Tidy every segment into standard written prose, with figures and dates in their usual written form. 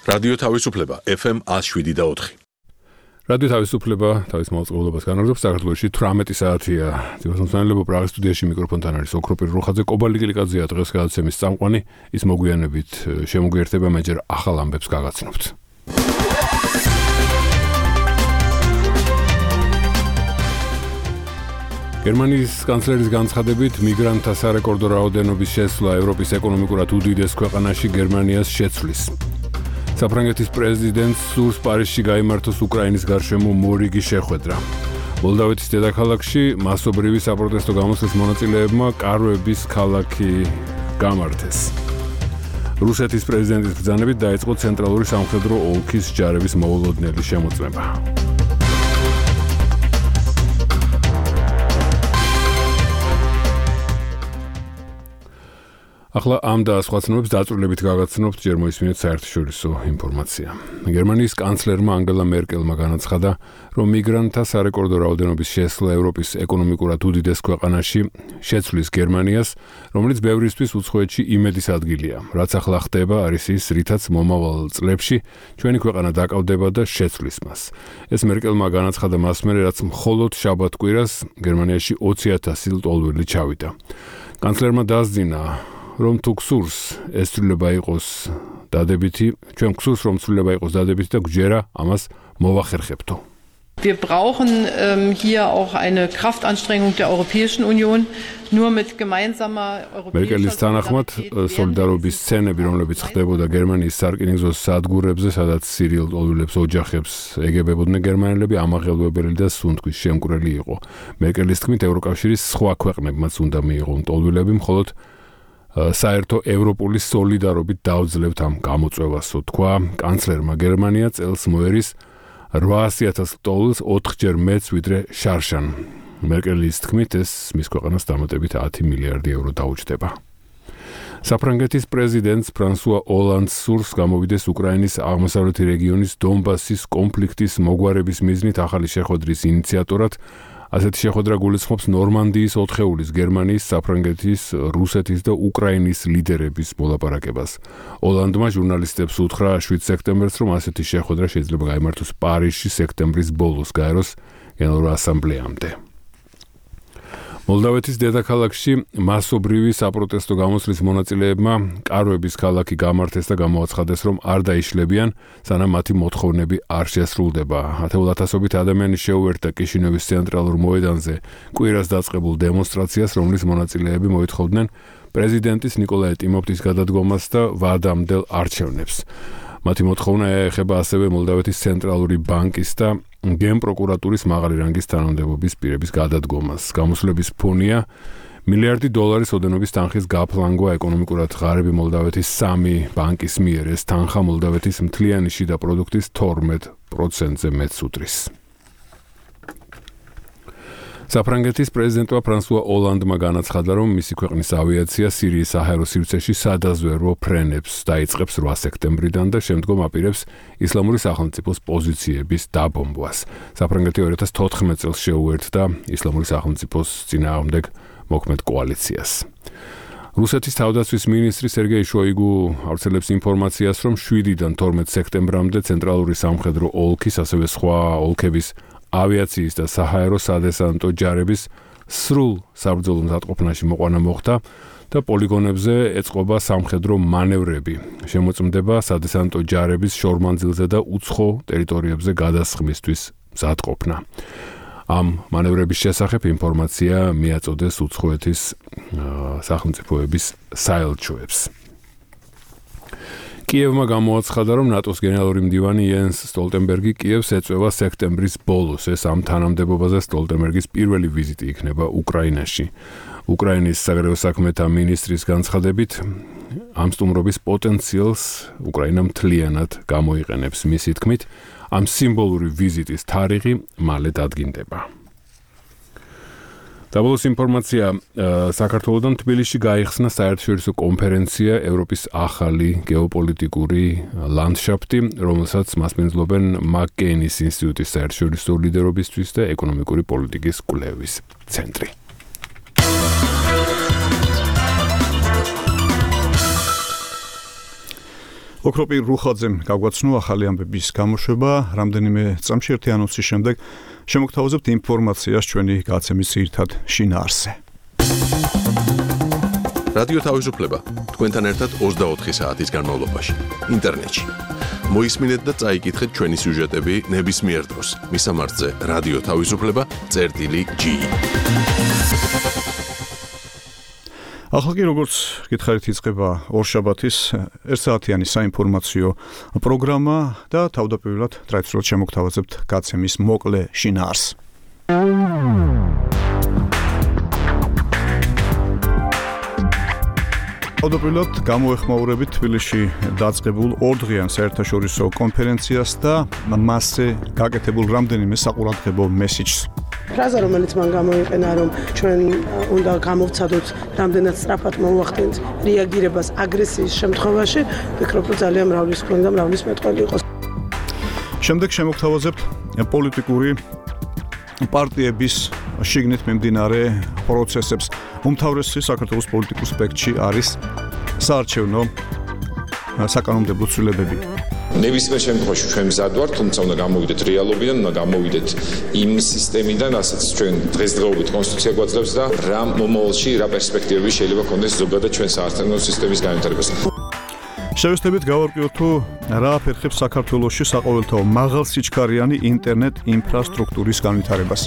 რადიო თავისუფლება FM 107.4. რადიო თავისუფლება თავის მოწყობილობას განაგრძობს საქართველოში 18 საათია. ძირითადად პრაღის სტუდიაში მიკროფონთან არის ოქროპირ რუხაძე, კობალი კილიკაძეა დღეს გადაცემის წამყვანი, ის მოგვიანებით შემოგვიერთება, მე ჯერ ახალ ამბებს გაგაცნობთ. გერმანიის კანცლერის განცხადებით, მიგრანტთა სარეკორდო რაოდენობის შესვლა ევროპის ეკონომიკურად უდიდეს ქვეყანაში გერმანიას შეცვლის. საფრანგეთის პრეზიდენტს სურს პარიზში გაიმართოს უკრაინის გარშემო მორიგი შეხვედრა. მოლდავეთის დედაქალაქში მასობრივი საპროტესტო გამოსვლის მონაწილეებმა კარვების ქალაქი გამართეს. რუსეთის პრეზიდენტის ბრძანებით დაიწყო ცენტრალური სამხედრო ოლქის ჯარების მოულოდნელი შემოწმება. ახლა ამ და სხვა ცნობებს დაწვრილებით გაგაცნობთ, ჯერ მოისმინეთ საერთაშორისო ინფორმაცია. გერმანიის კანცლერმა ანგელა მერკელმა განაცხადა, რომ მიგრანტთა სარეკორდო რაოდენობის შესვლა ევროპის ეკონომიკურად უდიდეს ქვეყანაში შეცვლის გერმანიას, რომელიც ბევრისთვის უცხოეთში იმედის ადგილია. რაც ახლა ხდება, არის ის, რითაც მომავალ წლებში ჩვენი ქვეყანა დაკავდება და შეცვლის მას. ეს მერკელმა განაცხადა მას მერე, რაც მხოლოდ შაბათ-კვირას გერმანიაში 20,000 ლტოლვილი ჩავიდა. კანცლერმა დასძინა, რომ თუ გსურს ეს ცვლილება იყოს დადებითი, ჩვენ გსურს რომ ცვლილება იყოს დადებითი და გვჯერა ამას მოვახერხებთო. Wir brauchen hier auch eine Kraftanstrengung der Europäischen Union. Nur mit gemeinsamer europäischer მერკელის თანახმად, სოლიდარობის სცენები, რომლებიც ხდებოდა გერმანიის სარკინიგზოს სადგურებზე, სადაც სირიელ ლტოლვილებს ოჯახებს ეგებებოდნენ გერმანელები, ამაღელვებელი და სუნთქვის შემკვრელი იყო. მერკელის თქმით, ევროკავშირის სხვა ქვეყნებმაც უნდა მიიღონ ლტოლვილები, მხოლოდ საერთო ევროპული სოლიდარობით დავძლებთ ამ გამოწვევასო, თქვა კანცლერმა. გერმანია წელს მოერის 800,000 ლტოლვილს 4-ჯერ მეც ვიდრე შარშან. მერკელის თქმით, ეს მის ქვეყანას დამატებით 10 მილიარდი ევრო დაუჯდება. საფრანგეთის პრეზიდენტს ფრანსუა ოლანდს სურს გამოვიდეს უკრაინის აღმოსავლეთი რეგიონის დონბასის კონფლიქტის მოგვარების მიზნით ახალი შეხვედრის ინიციატორად. ასეთი შეხვედრა გულისხმობს ნორმანდიის 4-ეულის, გერმანიის, საფრანგეთის, რუსეთის და უკრაინის ლიდერების მოლაპარაკებას. ოლანდმა ჟურნალისტებს უთხრა 7 სექტემბერს, რომ ასეთი შეხვედრა შეიძლება გაიმართოს პარიზში სექტემბრის ბოლოს, გაეროს გენერალურ ასამბლეამდე. მოლდავეთის დედაქალაქში მასობრივი საპროტესტო გამოსვლის მონაწილეებმა კარვების ქალაქი გამართეს და გამოაცხადეს, რომ არ დაიშლებიან, სანამ მათი მოთხოვნები არ შესრულდება. 10,000-ობით ადამიანი შეუერთდა კიშინევის ცენტრალურ მოედანზე კვირას დაწყებულ დემონსტრაციას, რომლის მონაწილეები მოითხოვდნენ პრეზიდენტის ნიკოლაი ტიმოფტის გადადგომას და ვადამდელ არჩევნებს. მათი მოთხოვნა ეხება ასევე მოლდავეთის ცენტრალური ბანკის და გენპროკურატურის მაღალი რანგის თანამდებობის პირების გადადგომას. გამოსვლების ფონია $1 მილიარდი ოდენობის თანხის გაფლანგვა ეკონომიკურად ღარიბი მოლდავეთის 3 ბანკის მიერ. ეს თანხა მოლდავეთის მთლიანი შიდა პროდუქტის 12%-ზე მეტს უდრის. საფრანგეთის პრეზიდენტმა ფრანსუა ოლანდმა განაცხადა, რომ მისი ქვეყნის ავიაცია სირიის საჰაერო სივრცეში სადაზვერვო ფრენებს დაიწყებს 8 სექტემბრიდან და შემდგომ აპირებს ისლამური სახელმწიფოს პოზიციების დაბომბვას. საფრანგეთი 2014 წელს შეუერთდა ისლამური სახელმწიფოს წინააღმდეგ მოქმედ კოალიციას. რუსეთის თავდაცვის მინისტრი სერგეი შოიგუ ავრცელებს ინფორმაციას, რომ 7-დან 12 სექტემბრამდე ცენტრალური სამხედრო ოლქის, ასევე სხვა ოლქების ავიაციის და საჰაერო სადესანტო ჯარების სრულ საბრძოლო მზადყოფნაში მოყვანა მოხდა და პოლიგონებზე ეწყობა სამხედრო მანევრები. შემოწმდება სადესანტო ჯარების შორმანძილზე და უცხო ტერიტორიებზე გადასხმისთვის მზადყოფნა. ამ მანევრების შესახებ ინფორმაცია მიაწოდეს უცხოეთის სახელმწიფოების საელჩოებს. კიევმა გამოაცხადა, რომ ნატოს გენერალური მდივანი იენს სტოლტენბერგი კიევს ეწევა სექტემბრის ბოლოს. ეს ამ თანამდებობაზე სტოლტენბერგის პირველი ვიზიტი იქნება უკრაინაში. უკრაინის საგარეო საქმეთა მინისტრის განცხადებით, ამ სტუმრობის პოტენციალს უკრაინა მთლიანად გამოიყენებს. მისი თქმით, ამ სიმბოლური ვიზიტის თარიღი მალე დადგინდება. დაბოლოს ინფორმაცია, საქართველოდან თბილისში გაიხსნა საერთაშორისო კონფერენცია ევროპის ახალი გეოპოლიტიკური ლანდშაფტი, რომელსაც მასპინძლობენ მაკ-კეინის ინსტიტუტის საერთაშორისო ლიდერობისთვის და ეკონომიკური პოლიტიკის კვლევის ცენტრი. ოქროპირ რუხაძემ გაგვაცნო ახალი ამბების გამოშვება, რამდენიმე წამში ერთი ანონსის შემდეგ შემოგთავაზებთ ინფორმაციას ჩვენი გაცემის ძირითად შინაარსზე. რადიო თავისუფლება თქვენთან ერთად 24 საათის განმავლობაში ინტერნეტში. მოისმინეთ და წაიკითხეთ ჩვენი სიუჟეტები ნებისმიერ დროს. მისამართზე რადიო თავისუფლება.gi. ახლა კი როგორც გითხარით იწყება ორშაბათის ერთსაათიანი საინფორმაციო პროგრამა და თავდაპირველად ტრადიციულად შემოგთავაზებთ გაცემის მოკლე შინაარსს. თავდაპირველად გამოეხმაურებით თბილისში დაწყებულ ორდღიან საერთაშორისო კონფერენციას და მასზე გაკეთებულ რამდენიმე საყურადღებო მესიჯს. ფრაზა, რომელიც მან გამოიყენა, რომ ჩვენ უნდა გამოვცადოთ რამდენად სწრაფად მოუახდენთ რეაგირებას აგრესიის შემთხვევაში, ვფიქრობ, რომ ძალიან მრავალისმხრივი და მრავალისმეტყველი იყო. შემდეგ შემოგთავაზებთ პოლიტიკური პარტიების შიგნით მიმდინარე პროცესებს. უმთავრესი საქართველოს პოლიტიკურ სპექტრში არის საარჩევნო საკანონმდებლო ცვლილებები. ნებისმიერ შემთხვევაში ჩვენ მზად ვართ, თუმცა უნდა გამოვიდეთ რეალობიდან, უნდა გამოვიდეთ იმ სისტემიდან, რასაც ჩვენ დღესდღეობით კონსტიტუცია გვაძლევს და რა მომავალში, რა პერსპექტივები შეიძლება ქონდეს ზოგადად ჩვენ საარჩევნო სისტემის განვითარებას. შევესწრებით გავარკვიოთ თუ რა აფერხებს საქართველოში საყოველთაო მაღალსიჩქარიანი ინტერნეტ ინფრასტრუქტურის განვითარებას.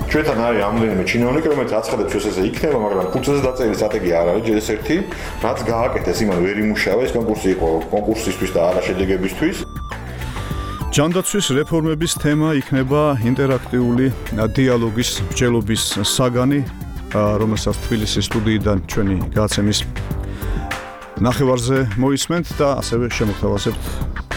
ჩვენთან არის ამდენიმე ჩინოვნიკი, რომელიც აცხადებს, რომ ესე იქნება, მაგრამ ფუძეზე დაწერილი სტრატეგია არ არის, ჯერ ერთი, რაც გააკეთეს, იმან ვერ იმუშავა, ეს კონკურსი იყო კონკურსისთვის და არა შედეგებისთვის. ჯანდაცვის რეფორმების თემა იქნება ინტერაქტიული დიალოგის მსჯელობის საგანი, რომელსაც თბილისის სტუდიიდან ჩვენი გაცემის ნახევარზე მოისმენთ და ასევე შემოგთავაზებთ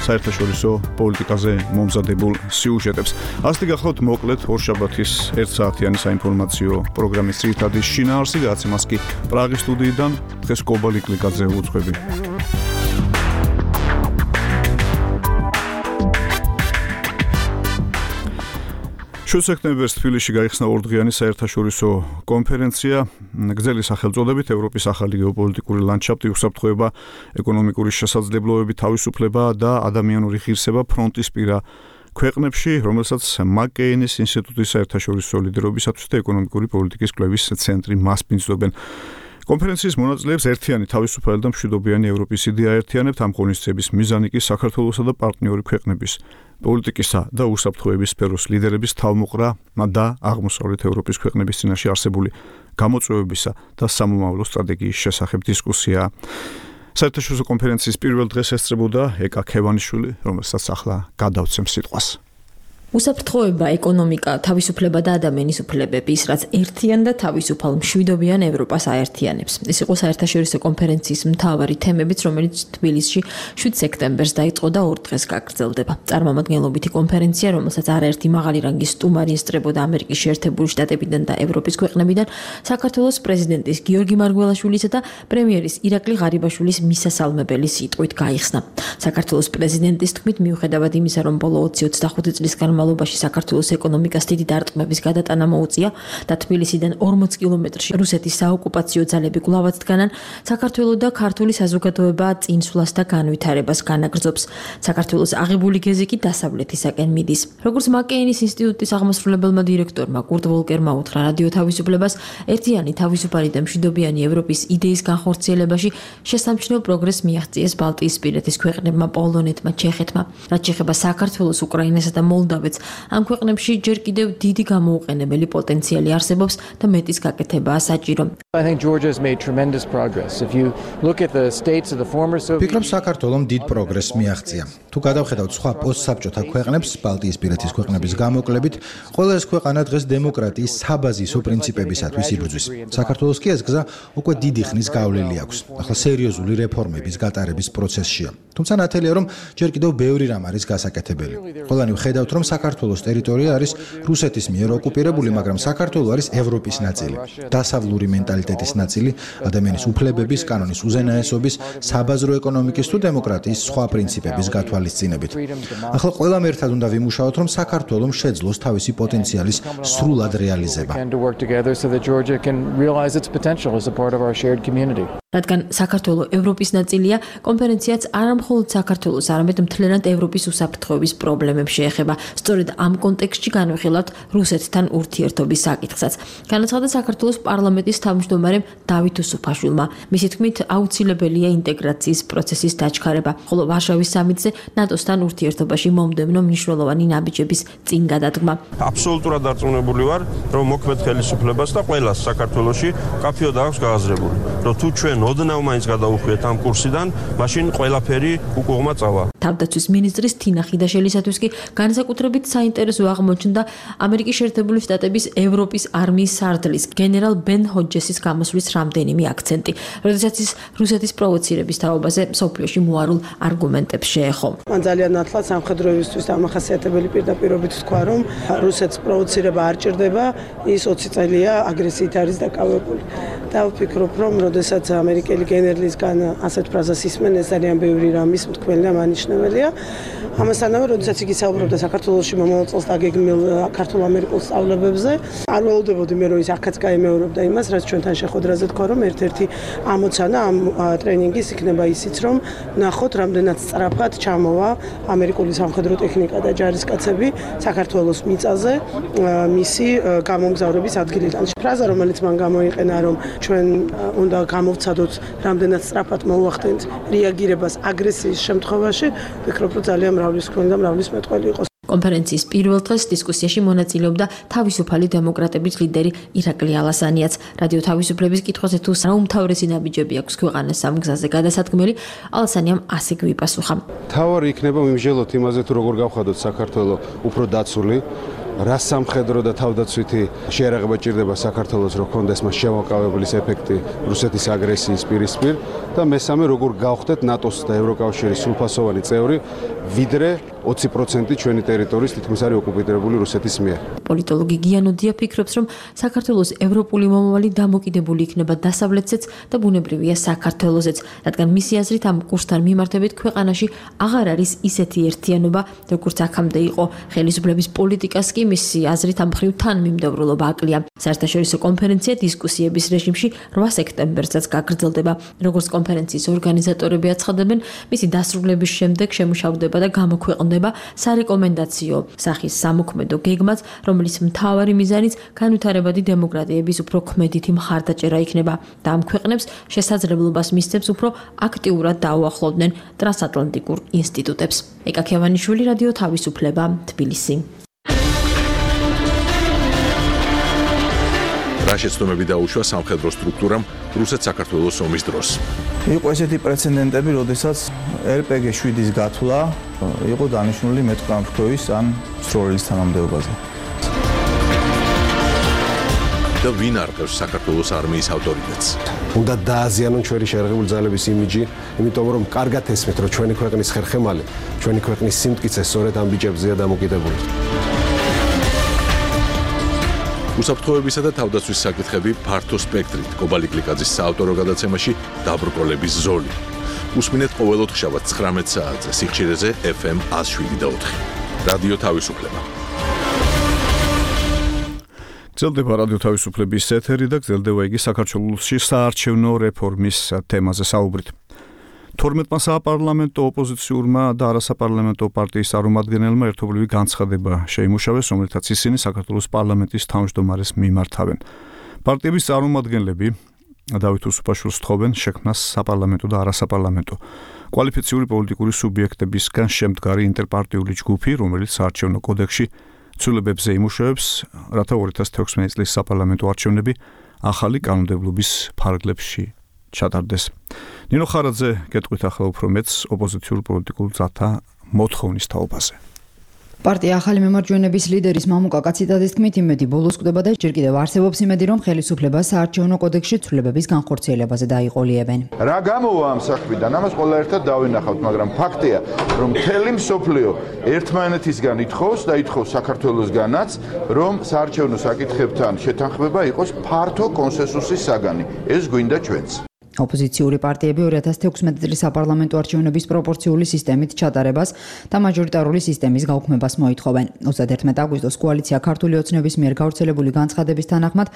საერთაშორისო პოლიტიკაზე მომზადებულ სიუჟეტებს. ასეთი გახლავთ მოკლედ ორშაბათის ერთსაათიანი საინფორმაციო პროგრამის ძირითადი შინაარსი, გაცემას კი პრაღის სტუდიიდან დღეს კობალი კლიკაძე უძღვები. სექტემბერს თბილისში გაიხსნა ორდღიანი საერთაშორისო კონფერენცია გრძელი სახელწოდებით ევროპის ახალი გეოპოლიტიკური ლანდშაფტი, უსაფრთხოება, ეკონომიკური შესაძლებლობები, თავისუფლება და ადამიანური ღირსება ფრონტისპირა ქვეყნებში, რომელსაც მაკ-კეინის ინსტიტუტის საერთაშორისო ლიდერობისათვის და ეკონომიკური პოლიტიკის კვლევის ცენტრი მასპინძლობენ. კონფერენციის მონაწილეებს ერთიანი თავისუფალი და მშვიდობიანი ევროპის იდეა აერთიანებთ. ამ ღონისძიების მიზანი კი საქართველოსა და პარტნიორი ქვეყნების პოლიტიკისა და უსაფრთხოების სფეროს ლიდერების თავმოყრა და აღმოსავლეთ ევროპის ქვეყნების წინაშე არსებული გამოწვევებისა და სამომავლო სტრატეგიის შესახებ დისკუსია. საერთაშორისო კონფერენციის პირველ დღეს ესწრებოდა ეკა ქევანიშვილი, რომელსაც ახლა გადავცემ სიტყვას. უსაფრთხოება, ეკონომიკა, თავისუფლება და ადამიანის უფლებები, ის რაც ერთიან და თავისუფალ მშვიდობიან ევროპას აერთიანებს. ეს იყო საერთაშორისო კონფერენციის მთავარი თემებიც, რომელიც თბილისში 7 სექტემბერს დაიწყო და 2 დღეს გაგრძელდება. წარმომადგენლობითი კონფერენცია, რომელსაც არაერთი მაღალი რანგის სტუმარი ესწრებოდა ამერიკის შეერთებული შტატებიდან და ევროპის ქვეყნებიდან, საქართველოს პრეზიდენტის გიორგი მარგველაშვილისა და პრემიერის ირაკლი ღარიბაშვილის მისასალმებელი სიტყვით გაიხსნა. საქართველოს პრეზიდენტის თქმით, მიუხედავად იმისა, რომ ბოლო 20-25 წლის განმავლობაში საქართველოს ეკონომიკას დიდი დარტყმების გადატანა მოუწია და თბილისიდან 40 კილომეტრში რუსეთის საოკუპაციო ძალები კვლავაც დგანან, საქართველოს და ქართული საზოგადოება წინსვლას და განვითარებას განაგრძობს. საქართველოს აღებული გეზი კი დასავლეთისაკენ მიდის. როგორც მაკ-კეინის ინსტიტუტის აღმასრულებელმა დირექტორმა კურტ ვოლკერმა უთხრა რადიო თავისუფლებას, ერთიანი თავისუფალი და მშვიდობიანი ევროპის იდეის განხორციელებაში შესამჩნევ პროგრესს მიაღწიეს ბალტიისპირეთის ქვეყნებმა, პოლონეთმა, ჩეხეთმა. რაც შეეხება საქართველოს, უკრაინასა და მოლდავეთს, ამ ქვეყნებში ჯერ კიდევ დიდი გამოუყენებელი პოტენციალი არსებობს და მეტის გაკეთებაა საჭირო. ვფიქრობ, საქართველომ დიდ პროგრესს მიაღწია. თუ გადავხედავთ სხვა პოსტსაბჭოთა ქვეყნებს, ბალტიისპირეთის ქვეყნების გამოკლებით, ყველა ეს ქვეყანა დღეს დემოკრატიის საბაზისო პრინციპებისათვის იბრძვის. საქართველოს კი ეს გზა უკვე დიდი ხნის გავლილი აქვს. ახლა სერიოზული რეფორმების გატარების პროცესშია. თუმცა ნათელია, რომ ჯერ კიდევ ბევრი რამ არის გასაკეთებელი. ყველანი ვხედავთ, რომ საქართველოს ტერიტორია არის რუსეთის მიერ ოკუპირებული, მაგრამ საქართველო არის ევროპის ნაწილი, დასავლური მენტალიტეტის ნაწილი, ადამიანის უფლებების, კანონის უზენაესობის, საბაზრო ეკონომიკის თუ დემოკრატიის სხვა პრინციპების გათვალისწინებით. ახლა ყველამ ერთად უნდა ვიმუშაოთ, რომ საქართველომ შეძლოს თავისი პოტენციალის სრულად რეალიზება. რადგან საქართველო ევროპის ნაწილია, კონფერენციაც არამხოლოდ საქართველოს, არამედ მთლიანად ევროპის უსაფრთხოების პრობლემებს შეეხება. სწორედ ამ კონტექსტში განვიხილავთ რუსეთთან ურთიერთობის საკითხსაც. განაცხადა საქართველოს პარლამენტის თავმჯდომარემ დავით უსუფაშვილმა. მისი თქმით, აუცილებელია ინტეგრაციის პროცესის დაჩქარება, ხოლო ვარშავის სამიტზე ნატოსთან ურთიერთობაში მომდევნო მნიშვნელოვანი ნაბიჯების წინ გადადგმა. აბსოლუტურად დარწმუნებული ვარ, რომ მოქმედ ხელისუფლებას და ყველას საქართველოში კაფეოდ აქვს გააზრებული, რომ თუ ჩვენ ოდნავ მაინც გადავუხვიეთ ამ კურსიდან, მაშინ ყველაფერი უკუღმა წავა. თავდაცვის მინისტრის თინა ხიდაშელისათვის კი განსაკუთრებით საინტერესო აღმოჩნდა ამერიკის შეერთებული შტატების ევროპის არმიის სარდლის გენერალ ბენ ჰოჯესის გამოსვლის რამდენიმე აქცენტი, როდესაც ის რუსეთის პროვოცირების თაობაზე მსოფლიოში მოარულ არგუმენტებს შეეხო. მან ძალიან ნათლად სამხედროებისთვის დამახასიათებელი პირდაპირობით თქვა, რომ რუსეთს პროვოცირება არ ჭირდება, ის 20 წელია აგრესიით არის დაკავებული. და ვფიქრობ, რომ როდესაც ამერიკელი გენერლისგან ასეთ ფრაზას ისმენ, ეს ძალიან ბევრი რამის მთქმელი და მანიშნებელია. ამასთანავე, როდესაც იგი საუბრობდა საქართველოში მომავალ წელს დაგეგმილ ქართულ-ამერიკულ სწავლებებზე, არ ველოდებოდი მე, რომ ის აქაც გაიმეორებდა იმას, რაც ჩვენთან შეხვედრაზე თქვა, რომ ერთ-ერთი ამოცანა ამ ტრენინგის იქნება ისიც, რომ ნახოთ, რამდენად სწრაფად ჩამოვა ამერიკული სამხედრო ტექნიკა და ჯარისკაცები საქართველოს მიწაზე მისი გამომგზავრების ადგილიდან. ფრაზა, რომელიც მან გამოიყენა, რომ ჩვენ უნდა გამოვცადოთ, რამდენად სწრაფად მოვახდენთ რეაგირებას აგრესიის შემთხვევაში, ვფიქრობ, რომ ძალიან მრავლისმხრივი და მრავალმეტყველი იყო. კონფერენციის პირველ დღეს დისკუსიაში მონაწილეობდა თავისუფალი დემოკრატების ლიდერი ირაკლი ალასანიაც. რადიო თავისუფლების კითხვაზე თუ რა უმთავრესი ნაბიჯები აქვს ქვეყანას ამ გზაზე გადასადგმელი, ალასანიამ ასე გვიპასუხა. თავარი იქნება მიმსჯელოთ იმაზე, თუ როგორ გავხადოთ საქართველოს უფრო დაცული, რა სამხედრო და თავდაცვითი შეერაღება ჭირდება საქართველოს, რომ კონდეს მას შემოყავებლის ეფექტი რუსეთის აგრესიის პირისპირ და მესამე, როგორ გავხდეთ ნატოს და ევროკავშირის სრულფასოვანი წევრი, ვიდრე 20% ჩვენი ტერიტორიის თითქმის არის ოკუპირებული რუსეთის მიერ. პოლიტოლოგი გიანოდია ფიქრობს, რომ საქართველოს ევროპული მომავალი დამოკიდებული იქნება დასავლეთზეც და ბუნებრივია საქართველოსზეც, რადგან მისი აზრით ამ კურსთან მიმართებით ქვეყანაში აღარ არის ისეთი ერთიანობა, როგორც აქამდე იყო. ხელისუფლების პოლიტიკას კი მისი აზრით ამ მხრივ თანმიმდევრულობა აკლია. საერთაშორისო კონფერენცია დისკუსიების რეჟიმში 8 სექტემბერსაც გაგრძელდება. როგორც კონფერენციის ორგანიზატორები აცხადებენ, მისი დასრულების შემდეგ შემუშავდება და გამოქვეყნდება სარეკომენდაციო სახის სამოქმედო გეგმაც, რომლის მთავარი მიზანიც განვითარებადი დემოკრატიების უფრო ქმედითი მხარდაჭერა იქნება და ამ ქვეყნებს შესაძლებლობას მისცემს უფრო აქტიურად დაუახლოვდნენ ტრანსატლანტიკურ ინსტიტუტებს. ეკა ქევანიშვილი, რადიო თავისუფლება, თბილისი. რა შეცდომები დაუშვა სამხედრო სტრუქტურამ რუსეთ-საქართველოს ომის დროს. იყო ესეთი პრეცედენტები, როდესაც RPG-7-ის გათვლა იყო დანიშნული მეტყამრთქვის ან სროლის თანამდებობაზე. და ვინ არყევს საქართველოს არმიის ავტორიტეტს? უნდა დააზიანონ ჩვენი შეერაღებული ძალების იმიჯი, იმიტომ რომ კარგად ესმით, რომ ჩვენი ქვეყნის ხერხემალი, ჩვენი ქვეყნის სიმტკიცე სწორედ ამ ბიჭებზეა დამოკიდებული. უსაფრთხოებისა და თავდაცვის საკითხები ფართო სპექტრით კობალი გლიკაძის საავტორო გადაცემაში დაბრკოლების ზოლი. უსმინეთ ყოველ ოთხშაბათ 19 საათზე სიხშირეზე FM 107.4. რადიო თავისუფლება. გრძელდება რადიო თავისუფლების ეთერი და გრძელდება იგი საქართველოში საარჩევნო რეფორმის თემაზე საუბრით. 12-მა საპარლამენტო ოპოზიციურმა და არასაპარლამენტო პარტიის წარმომადგენელმა ერთობლივი განცხადება შეიმუშავეს, რომელთაც ისინი საქართველოს პარლამენტის თავმჯდომარეს მიმართავენ. პარტიების წარმომადგენლები დავით უსუფაშვილს თხოვენ შექმნას საპარლამენტო და არასაპარლამენტო კვალიფიციური პოლიტიკური სუბიექტებისგან შემდგარი ინტერპარტიული ჯგუფი, რომელიც საარჩევნო კოდექსში ცვლილებებზე იმუშავებს, რათა 2016 წლის საპარლამენტო არჩევნები ახალი კანონმდებლობის ფარგლებში ჩატარდეს. ნინო ხარაძე გეტყვით ახლა უფრო მეც ოპოზიციურ პოლიტიკურ ძალთა მოთხოვნის თაობაზე. პარტია ახალი მემარჯვენების ლიდერის მამუკა კაციტაძის თქმით, იმედი ბოლოს კვდება და ჯერ კიდევ არსებობს იმედი, რომ ხელისუფლება საარჩევნო კოდექსში ცვლილებების განხორციელებაზე დაიყოლიებენ. რა გამოვა ამ საქმიდან? ამას ყველა ერთად დავინახავთ, მაგრამ ფაქტია, რომ მთელი მსოფლიო ერთმანეთისგან ითხოვს და ითხოვს საქართველოსგანაც, რომ საარჩევნო საკითხებთან შეთანხმება იყოს ფართო კონსენსუსის საგანი. ეს გვინდა ჩვენც. ოპოზიციური პარტიები 2016 წლის საპარლამენტო არჩევნების პროპორციული სისტემით ჩატარებას და მაჟორიტარული სისტემის გაუქმებას მოითხოვენ. 31 აგვისტოს კოალიცია ქართული ოცნების მიერ გავრცელებული განცხადების თანახმად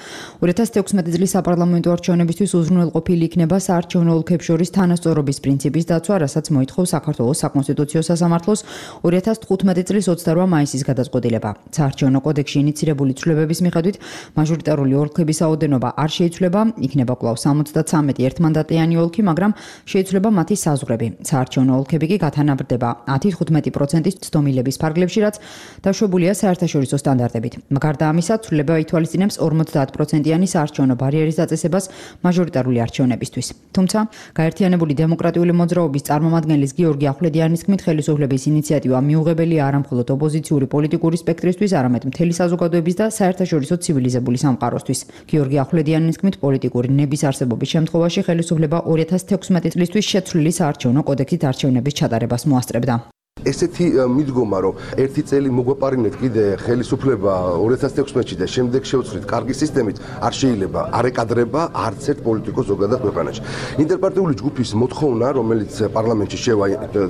2016 წლის საპარლამენტო არჩევნებისთვის უზრუნველყოფილი იქნება საარჩევნო ოლქებს შორის თანასწორობის პრინციპის დაცვა, რასაც მოითხოვს საქართველოს საკონსტიტუციო სასამართლოს 2015 წლის 28 მაისის გადაწყვეტილება. საარჩევნო კოდექსში ინიცირებული ცვლილებების მიხედვით მაჟორიტარული ოლქების რაოდენობა არ შეიცვლება, იქნება კვლავ 73 ერთმანდატიანი ოლქი, მაგრამ შეიცვლება მათი საზღვრები. საარჩევნო ოლქები კი გათანაბრდება 10-15%-ის ცდომილების ფარგლებში, რაც დაშვებულია საერთაშორისო სტანდარტებით. გარდა ამისა, ცვლილება ითვალისწინებს 50%-იანი საარჩევნო ბარიერის დაწესებას მაჟორიტარული არჩევნებისთვის. თუმცა, გაერთიანებული დემოკრატიული მოძრაობის წარმომადგენლის გიორგი ახვლედიანის თქმით, ხელისუფლების ინიციატივა მიუღებელია არა მხოლოდ ოპოზიციური პოლიტიკური სპექტრისთვის, არამედ მთელი საზოგადოების და საერთაშორისო ცივილიზებული სამყაროსთვის. გიორგი ახვლედიანის თქმით, პოლიტიკური ნების არსებობის შემთხვევაში ხელისუფლება 2016 წლისთვის შეცვლილი საარჩევნო კოდექსით არჩევნების ჩატარებას მოასწრებდა. ესეთი მიდგომა, რომ ერთი წელი მოგვეპარინეთ კიდე ხელისუფლება 2016-ში და შემდეგ შევცვლით კარგი სისტემით, არ შეიძლება არ ეკადრება არც ერთ პოლიტიკოს ზოგადად ქვეყანაში. ინტერპარტიული ჯგუფის მოთხოვნა, რომელიც პარლამენტში შევა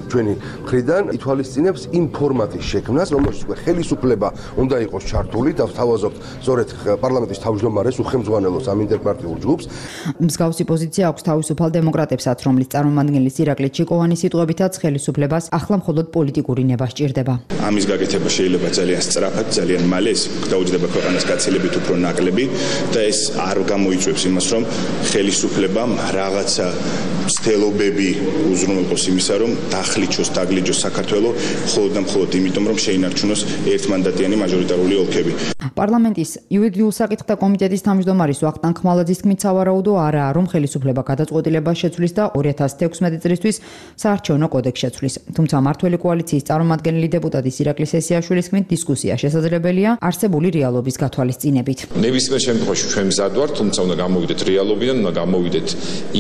ჩვენი მხრიდან, ითვალისწინებს იმ ფორმატის შექმნას, რომელშიც ხელისუფლება უნდა იყოს ჩართული და ვთავაზობთ სწორედ პარლამენტის თავმჯდომარეს უხელმძღვანელოს ამ ინტერპარტიულ ჯგუფს. მსგავსი პოზიცია აქვს თავისუფალ დემოკრატებსაც, რომლის წარმომადგენლის ირაკლი ჩიკოვანის სიტყვებითაც ხელისუფლებას ახლა მხოლოდ პოლიტიკური ნება სჭირდება. ამის გაკეთება შეიძლება ძალიან სწრაფად, ძალიან მალე, ეს დაუჯდება ქვეყანას გაცილებით უფრო ნაკლები და ეს არ გამოიწვევს იმას, რომ ხელისუფლებამ რაღაცა ცდილობები უზრუნველყოს იმისა, რომ დახლიჩოს, დაგლიჯოს საქართველოს მხოლოდ და მხოლოდ იმიტომ, რომ შეინარჩუნოს ერთმანდატიანი მაჟორიტარული ოლქები. პარლამენტის იურიდიულ საკითხთა კომიტეტის თავმჯდომარის ვახტანგ ხმალაძის თქმით, სავარაუდო არაა, რომ ხელისუფლება გადაწყვეტილებას შეცვლის და 2016 წლისთვის საარჩევნო კოდექსს შეცვლის. თუმცა მართველი კოალიციის წარმომადგენელი დეპუტატის ირაკლი სესიაშვილის თქმით, დისკუსია შესაძლებელია არსებული რეალობის გათვალისწინებით. ნებისმიერ შემთხვევაში ჩვენ მზად ვართ, თუმცა უნდა გამოვიდეთ რეალობიდან, უნდა გამოვიდეთ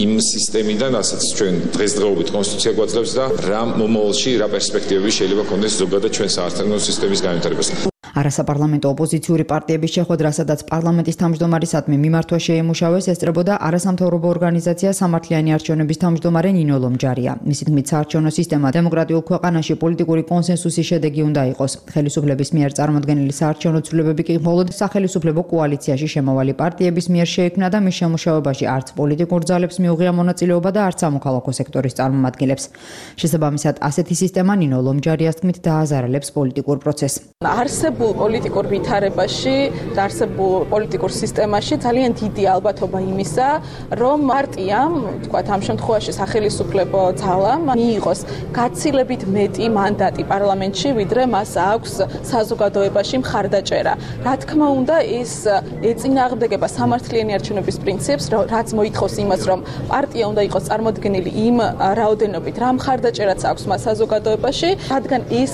იმ სისტემიდან, რასაც ჩვენ დღესდღეობით კონსტიტუცია გვაძლევს და რა მომავალში, რა პერსპექტივები შეიძლება ქონდეს ზოგადად ჩვენ საარჩევნო სისტემის განვითარებას. არასაპარლამენტო ოპოზიციური პარტიების შეხვედრა, სადაც პარლამენტის თავმჯდომარისადმი მიმართვა შეემუშავეს, ესწრებოდა არასამთავრობო ორგანიზაცია სამართლიანი არჩევნების თავმჯდომარე ნინო ლომჯარია. მისი თქმით, საარჩევნო სისტემა დემოკრატიულ ქვეყანაში პოლიტიკური კონსენსუსის შედეგი უნდა იყოს. ხელისუფლების მიერ წარმოდგენილი საარჩევნო ცვლილებები კი მხოლოდ სახელისუფლებო კოალიციაში შემავალი პარტიების მიერ შეიქმნა და მის შემუშავებაში არც პოლიტიკურ ძალებს მიუღია მონაწილეობა და არც სამოქალაქო სექტორის წარმომადგენლებს. შესაბამისად, ასეთი სისტემა ნინო ლომჯარიას თქმით დააზარალებს პოლიტიკურ პროცესს. პოლიტიკურ ვითარებაში და არსებულ პოლიტიკურ სისტემაში ძალიან დიდი ალბათობა იმისა, რომ პარტიამ, თქვათ ამ შემთხვევაში სახელისუფლებო ძალამ მიიღოს გაცილებით მეტი მანდატი პარლამენტში, ვიდრე მას აქვს საზოგადოებაში მხარდაჭერა. რა თქმა უნდა, ეს ეწინააღმდეგება სამართლიანი არჩევნების პრინციპს, რაც მოითხოვს იმას, რომ პარტია უნდა იყოს წარმოდგენილი იმ რაოდენობით, რა მხარდაჭერაც აქვს მას საზოგადოებაში, რადგან ეს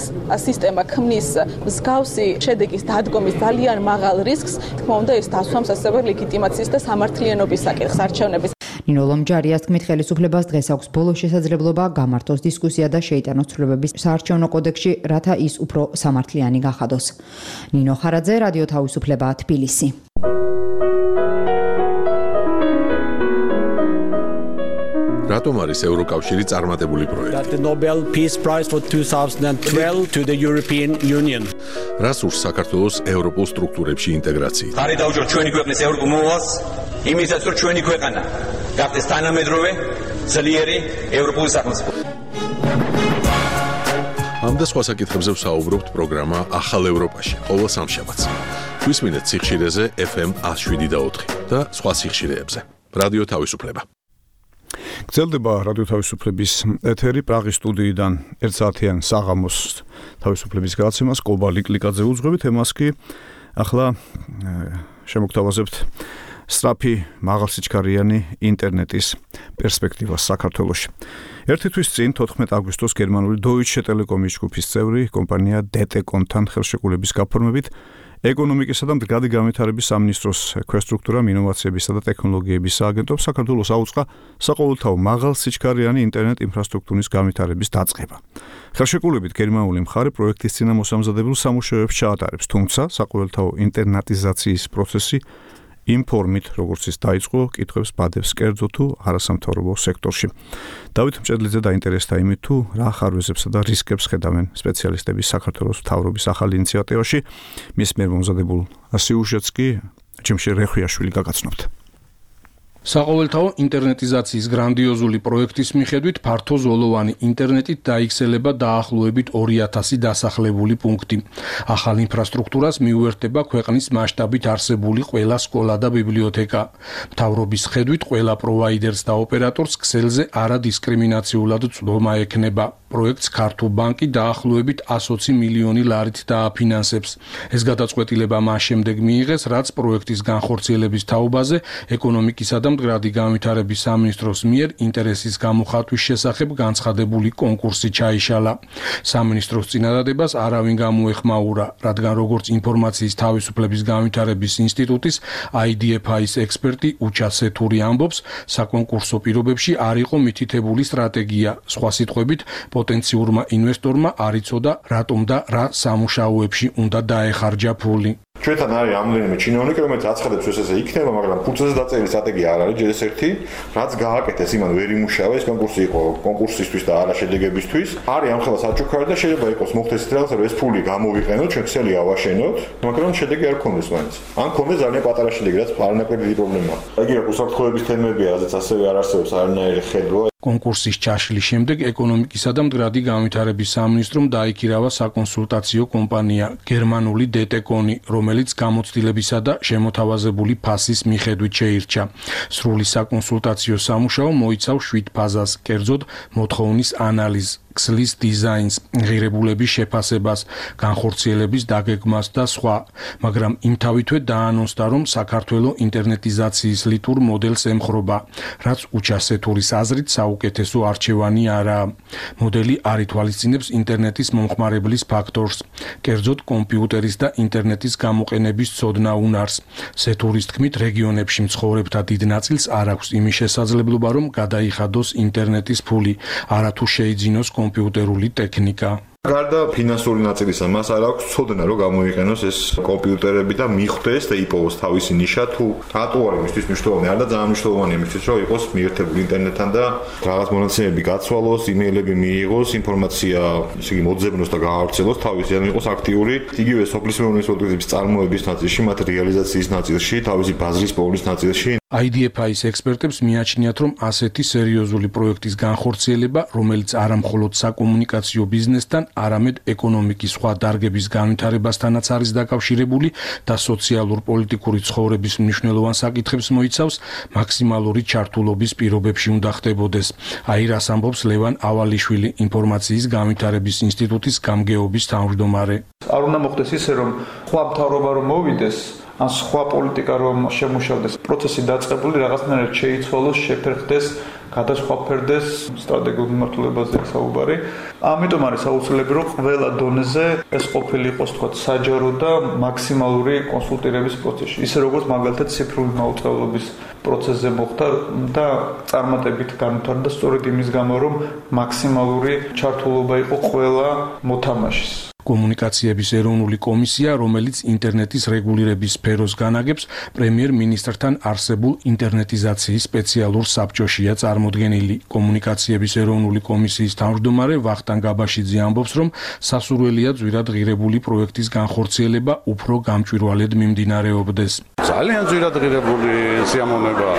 სისტემა ქმნის მსგავსი შედეგის დადგომის ძალიან მაღალ რისკს, თქმა უნდა, ეს დასვამს ასევე ლეგიტიმაციის და სამართლიანობის საკითხს არჩევნების. ნინო ლომჯარიას თქმით, ხელისუფლებას დღეს აქვს ბოლო შესაძლებლობა გამართოს დისკუსია და შეიტანოს ცვლილებების საარჩევნო კოდექსში, რათა ის უფრო სამართლიანი გახადოს. ნინო ხარაძე, რადიო თავისუფლება, თბილისი. რატომ არის ევროკავშირი წარმატებული პროექტი? The Nobel Peace Prize for 2012 to the European Union. რას ურს საქართველოს ევროპულ სტრუქტურებში ინტეგრაციით? ხარი დავუჯეროთ ჩვენი ქვეყნის ევროპულ მოვალს, იმისაც რომ ჩვენი ქვეყანა გახდეს თანამედროვე, ძლიერი ევროპული სახელმწიფო. ამ და სხვა საკითხებზე ვსაუბრობთ პროგრამა ახალ ევროპაში, ყოველ სამშაბათს. გვისმინეთ სიხშირეზე FM 107.4 და სხვა სიხშირეებზე. რადიო თავისუფლება. გრძელდება რადიო თავისუფლების ეთერი პრაღის სტუდიიდან 1 საათიან საღამოს თავისუფლების გადაცემას კობა ლიკლიკაძე უძღვებით, თემას კი ახლა შემოგთავაზებთ სწრაფი მაღალსიჩქარიანი ინტერნეტის პერსპექტივას საქართველოში. ერთი თვის წინ 14 აგვისტოს გერმანული Deutsche Telekom-ის ჯგუფის წევრი კომპანია DT-Comთან ხელშეკრულების გაფორმებით ეკონომიკისა და მდგრადი განვითარების სამინისტროს ქვესტრუქტურამ ინოვაციებისა და ტექნოლოგიების სააგენტომ საქართველოს აუწყა საყოველთაო მაღალსიჩქარიანი ინტერნეტ ინფრასტრუქტურის განვითარების დაწყება. ხელშეკრულებით გერმანული მხარე პროექტის წინამოსამზადებელ სამუშაოებს ჩაატარებს, თუმცა საყოველთაო ინტერნეტიზაციის პროცესი იმ ფორმით, როგორც ის დაიწყო, კითხვებს ბადებს კერძო თუ არასამთავრობო სექტორში. დავით მჭედლიძე დაინტერესდა იმით, თუ რა ხარვეზებსა და რისკებს ხედავენ სპეციალისტები საქართველოს მთავრობის ახალ ინიციატივაში. მის მიერ მომზადებულ სიუჟეტს კი ჯიმში რეხვიაშვილი გაგაცნობთ. საყოველთაო ინტერნეტიზაციის გრანდიოზული პროექტის მიხედვით ფართოზოლოვანი ინტერნეტით დაიქცელება დაახლოებით 2000 დასახლებული პუნქტი. ახალ ინფრასტრუქტურას მიუერთდება ქვეყნის მასშტაბით არსებული ყველა სკოლა და ბიბლიოთეკა. მთავრობის ხედვით ყველა პროვაიდერს და ოპერატორს ქსელზე არადისკრიმინაციულად წვდომა ექნება. პროექტს ქართულ ბანკი დაახლოებით 120 მილიონი ლარით დააფინანსებს. ეს გადაწყვეტილება მას შემდეგ მიიღეს, რაც პროექტის განხორციელების თაობაზე ეკონომიკისა და მდგრადი განვითარების სამინისტროს მიერ ინტერესის გამოხატვის შესახებ განცხადებული კონკურსი ჩაიშალა. სამინისტროს წინადადებას არავინ გამოეხმაურა, რადგან როგორც ინფორმაციის თავისუფლების განვითარების ინსტიტუტის IDFI-ის ექსპერტი უჩა სეთური ამბობს, საკონკურსო პირობებში არ იყო მითითებული სტრატეგია. სხვა სიტყვებით, პოტენციურმა ინვესტორმა არ იცოდა, რატომ და რა სამუშაოებში უნდა დაეხარჯა ფული. ჩვენთან არის რამდენიმე ჩინოვნიკი, რომელიც აცხადებს, რომ ესე იქნება, მაგრამ ფულზე დაწერილი სტრატეგია არ არის, ჯერ ეს ერთი, რაც გააკეთეს, იმან ვერ იმუშავა, ეს კონკურსი იყო კონკურსისთვის და არა შედეგებისთვის. არის ამხელა საჩუქარი და შეიძლება იყოს მოხდეს ის რაღაც, რომ ეს ფული გამოვიყენოთ, ჩვენ ქსელი ავაშენოთ, მაგრამ შედეგი არ გქონდეს მაინც. ან გქონდეს ძალიან პატარა შედეგი, რაც არანაკლები დიდი პრობლემაა. იგი უსაფრთხოების თემებია, რაზეც ასევე არ არსებობს არანაირი ხედვა. კონკურსის ჩაშლის შემდეგ ეკონომიკისა და მდგრადი განვითარების სამინისტრომ დაიქირავა საკონსულტაციო კომპანია გერმანული დეტეკონი, რომელიც გამოცდილებისა და შემოთავაზებული ფასის მიხედვით შეირჩა. სრული საკონსულტაციო სამუშაო მოიცავს 7 ფაზას, კერძოდ მოთხოვნის ანალიზს, ქსლის დიზაინს, ღირებულების შეფასებას, განხორციელების დაგეგმას და სხვა, მაგრამ იმთავითვე დაანონსდა, რომ საქართველოს ინტერნეტიზაციის ლიტურ მოდელს ემხრობა, რაც უჩასეთურის აზრით საუკეთესო არჩევანი არაა. მოდელი არ ითვალისწინებს ინტერნეტის მომხმარებლის ფაქტორს, კერძოდ კომპიუტერის და ინტერნეტის გამოყენების ცოდნა უნარს. სეთურის თქმით, რეგიონებში მცხოვრებთა დიდ ნაწილს არ აქვს იმის შესაძლებლობა, რომ გადაიხადოს ინტერნეტის ფული, არათუ შეიძინოს კომპიუტერული ტექნიკა. გარდა ფინანსური ნაწილისა, მას არ აქვს ცოდნა, რომ გამოიყენოს ეს კომპიუტერები და მიხვდეს და იპოვოს თავისი ნიშა, თუ რატო არის მისთვის მნიშვნელოვანი, არ და ძალიან მნიშვნელოვანია მისთვის, რომ იყოს მიერთებული ინტერნეტთან და რაღაც მონაცემები გაცვალოს, იმეილები მიიღოს, ინფორმაცია, ისე იგი მოძებნოს და გაავრცელოს თავისი, ან იყოს აქტიური, იგივე სოფლის მეურნეობის პროდუქტების წარმოების ნაწილში, მათ რეალიზაციის ნაწილში, თავისი ბაზრის პოვნის ნაწილში. IDFI-ის ექსპერტებს მიაჩნიათ, რომ ასეთი სერიოზული პროექტის განხორციელება, რომელიც არა მხოლოდ საკომუნიკაციო ბიზნესთან, არამედ ეკონომიკის სხვა დარგების განვითარებასთანაც არის დაკავშირებული და სოციალურ-პოლიტიკური ცხოვრების მნიშვნელოვან საკითხებს მოიცავს, მაქსიმალური ჩართულობის პირობებში უნდა ხდებოდეს. აი რას ამბობს ლევან ავალიშვილი, ინფორმაციის განვითარების ინსტიტუტის გამგეობის თავმჯდომარე. არ უნდა მოხდეს ისე, რომ სხვა მთავრობა რომ მოვიდეს, ან სხვა პოლიტიკა რომ შემუშავდეს, პროცესი დაწყებული რაღაცნაირად შეიცვალოს, შეფერხდეს, გადასხვაფერდეს სტრატეგიულ მიმართულებაზე საუბარი. ამიტომ არის აუცილებელი, რომ ყველა დონეზე ეს ყოფილი იყოს, თქვა, საჯარო და მაქსიმალური კონსულტირების პროცესი. ისე როგორც მაგალითად ციფრული მაუწყებლობის პროცესზე მოხდა და წარმატებით განვითარდა სწორედ იმის გამო, რომ მაქსიმალური ჩართულობა იყო ყველა მოთამაშის. კომუნიკაციების ეროვნული კომისია, რომელიც ინტერნეტის რეგულირების სფეროს განაგებს, პრემიერ-მინისტრთან არსებულ ინტერნეტიზაციის სპეციალურ საბჭოშია წარმოდგენილი. კომუნიკაციების ეროვნული კომისიის თავმჯდომარე ვახტანგ აბაშიძე ამბობს, რომ სასურველია ძვირად ღირებული პროექტის განხორციელება უფრო გამჭვირვალედ მიმდინარეობდეს. ძალიან ძვირად ღირებული სიამოვნებაა.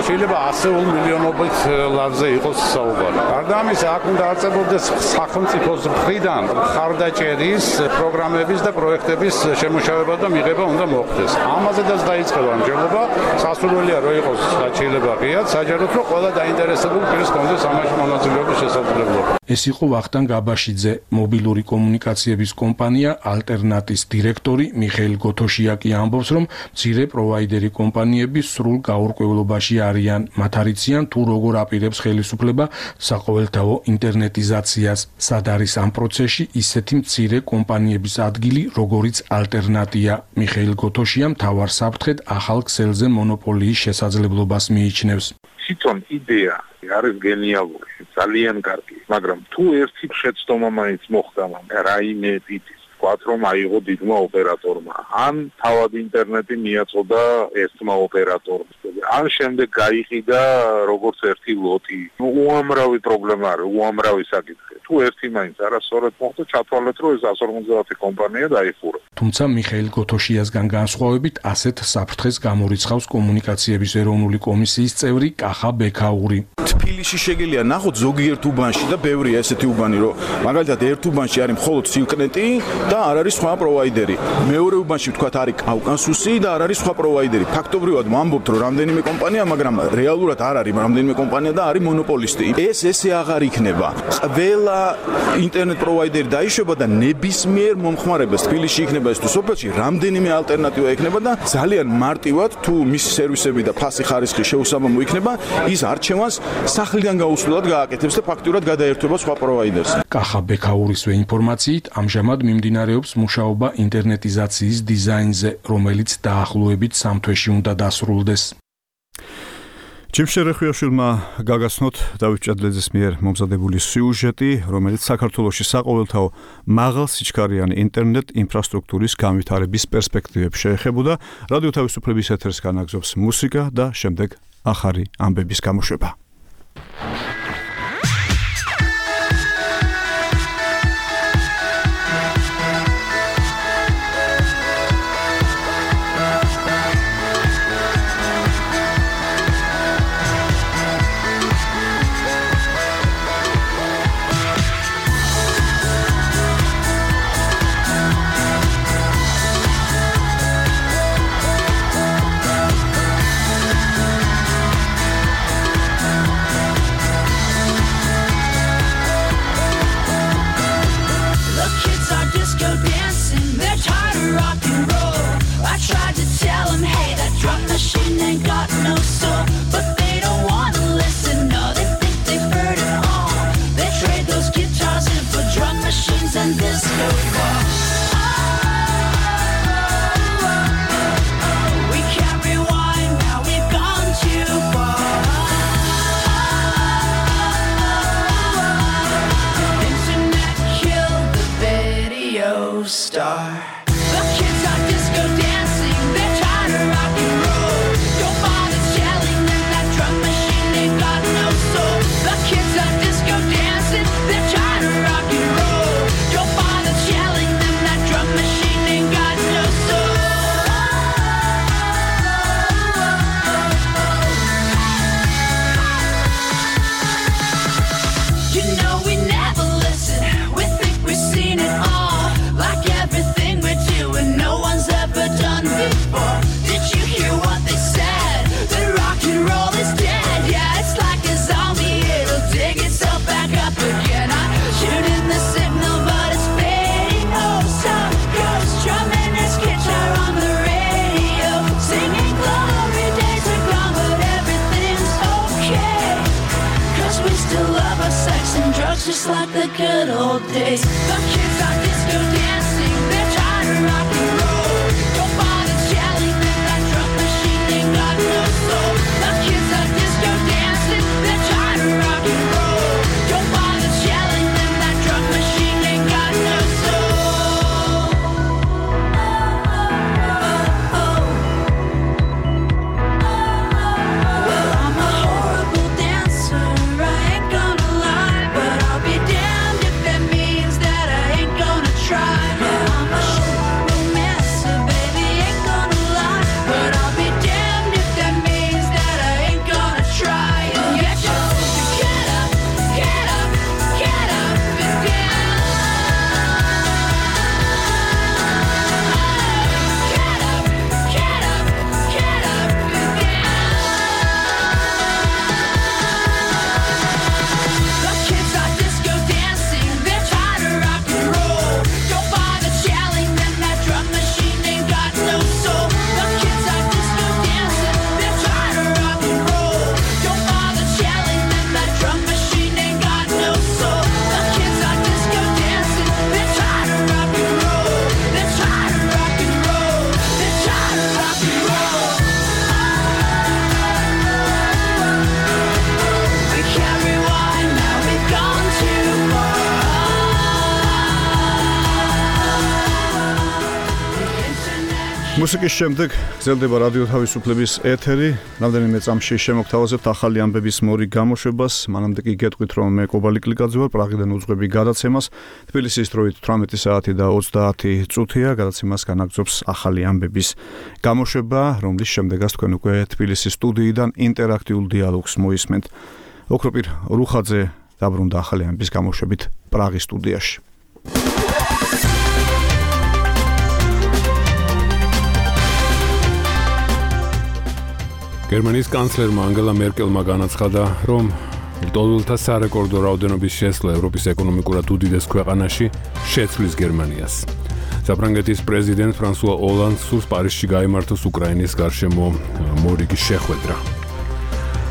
შეიძლება 100 მილიონობით ლარზე იყოს საუბარი. გარდა ამისა, აქ უნდა არწებოდეს სახელმწიფოს მხრიდან მხარდაჭერის პროგრამების და პროექტების შემუშავება და მიღება უნდა მოხდეს. ამაზედაც დაიწყება მსჯელობა, სასურველია რომ იყოს შეიძლება ღიად, საჯაროდ რომ ყველა დაინტერესებული პირს კონდეს ამაში მონაწილეობის შესაძლებლობა. ეს იყო ვახტანგ აბაშიძე, მობილური კომუნიკაციების კომპანია ალტერნატის დირექტორი მიხეილ გოთოშიაკი ამბობს, რომ მცირე პროვაიდერი კომპანიები სრულ გაურკვევლობაში არიან, მათ არიციან თუ როგორ აპირებს ხელისუფლება საყოველთაო ინტერნეტიზაციას, სად არის ამ პროცესში ისეთი მცირე კომპანიების ადგილი, როგორიც ალტერნატია. მიხეილ გოთოშია მთავარ საფრთხედ ახალ ქსელზე მონოპოლიის შესაძლებლობას მიიჩნევს. თვითონ იდეა არის გენიალური, ძალიან კარგი, მაგრამ თუ ერთი შეცდომა მაინც მოხდა რაიმე ტიპის ვთქვათ, რომ აიღო დიდმა ოპერატორმა. ან თავად ინტერნეტი მიაწოდა ერთმა ოპერატორმა. ან შემდეგ გაიყიდა როგორც ერთი ლოტი. უამრავი პრობლემა არის, უამრავი საკითხი. თუ ერთი მაინც არასწორად მოხდა, ჩათვალეთ, რომ ეს 150 კომპანია დაიხურა. თუმცა მიხეილ გოთოშიასგან განსხვავებით ასეთ საფრთხეს გამორიცხავს კომუნიკაციების ეროვნული კომისიის წევრი კახა ბექაური. თბილისში შეგიძლია ნახოთ ზოგიერთ უბანში და ბევრია ესეთი უბანი, რომ მაგალითად ერთ უბანში არის მხოლოდ სილკნეტი და არ არის სხვა პროვაიდერი. მეორე უბანში ვთქვათ არის კავკასუსი და არ არის სხვა პროვაიდერი. ფაქტობრივად ვამბობთ, რომ რამდენიმე კომპანია, მაგრამ რეალურად არ არის რამდენიმე კომპანია და არის მონოპოლისტი. ესე აღარ იქნება. ყველა ინტერნეტ პროვაიდერი დაიშვება და ნებისმიერ მომხმარებელს თბილისში იქნება ეს თუ სოფელში რამდენიმე ალტერნატივა იქნება და ძალიან მარტივად თუ მისი სერვისები და ფასი ხარისხი შეუსაბამო იქნება, ის არჩევანს სახლიდან გაუსვლელად გააკეთებს და ფაქტურად გადაერთვება სხვა პროვაიდერს. კახა ბექაურისვე ინფორმაციით, ამჟამად მიმდინარეობს მუშაობა ინტერნეტიზაციის დიზაინზე, რომელიც დაახლოებით 3 თვეში უნდა დასრულდეს. ჯიმშერეხვიაშვილმა გაგაცნოთ დავით ჭადლეძის მიერ მომზადებული სიუჟეტი, რომელიც საქართველოში საყოველთაო მაღალ სიჩქარიანი ინტერნეტ ინფრასტრუქტურის განვითარების პერსპექტივებს შეეხებოდა. რადიო თავისუფლების ეთერს განაგზობს მუსიკა და შემდეგ ახალი ამბების გამოშვება. Just like the good old days. The kids are disco dancing, they're trying to rock and roll. Your body's jelly, that drum machine ain't got no soul. The kids are disco dancing, they're trying to rock and roll. Your body's jelly, that drum machine ain't got no soul. Well, I'm a horrible dancer, I ain't gonna lie, but I'll be damned if that means that I ain't gonna try. მუსიკის შემდეგ გრძელდება რადიო თავისუფლების ეთერი. რამდენიმე წამში შემოგთავაზებთ ახალი ამბების მორიგ გამოშვებას. მანამდე კი გეტყვით, რომ მე კობალი კლიკაძე ვარ, პრაღიდან უძღვები გადაცემას. თბილისის დროით 18 საათი და 30 წუთია. გადაცემას განაგრძობს ახალი ამბების გამოშვება, რომლის შემდეგაც თქვენ უკვე თბილისის სტუდიიდან ინტერაქტიულ დიალოგს მოისმენთ. ოქროპირ რუხაძე დაბრუნდა ახალი ამბების გამოშვებით პრაღის სტუდიაში. გერმანიის კანცლერმა ანგელა მერკელმა განაცხადა, რომ ლტოლვილთა სარეკორდო რაოდენობის შესვლა ევროპის ეკონომიკურად უდიდეს ქვეყანაში შეცვლის გერმანიას. საფრანგეთის პრეზიდენტ ფრანსუა ოლანდს სურს პარიზში გაიმართოს უკრაინის გარშემო მორიგი შეხვედრა.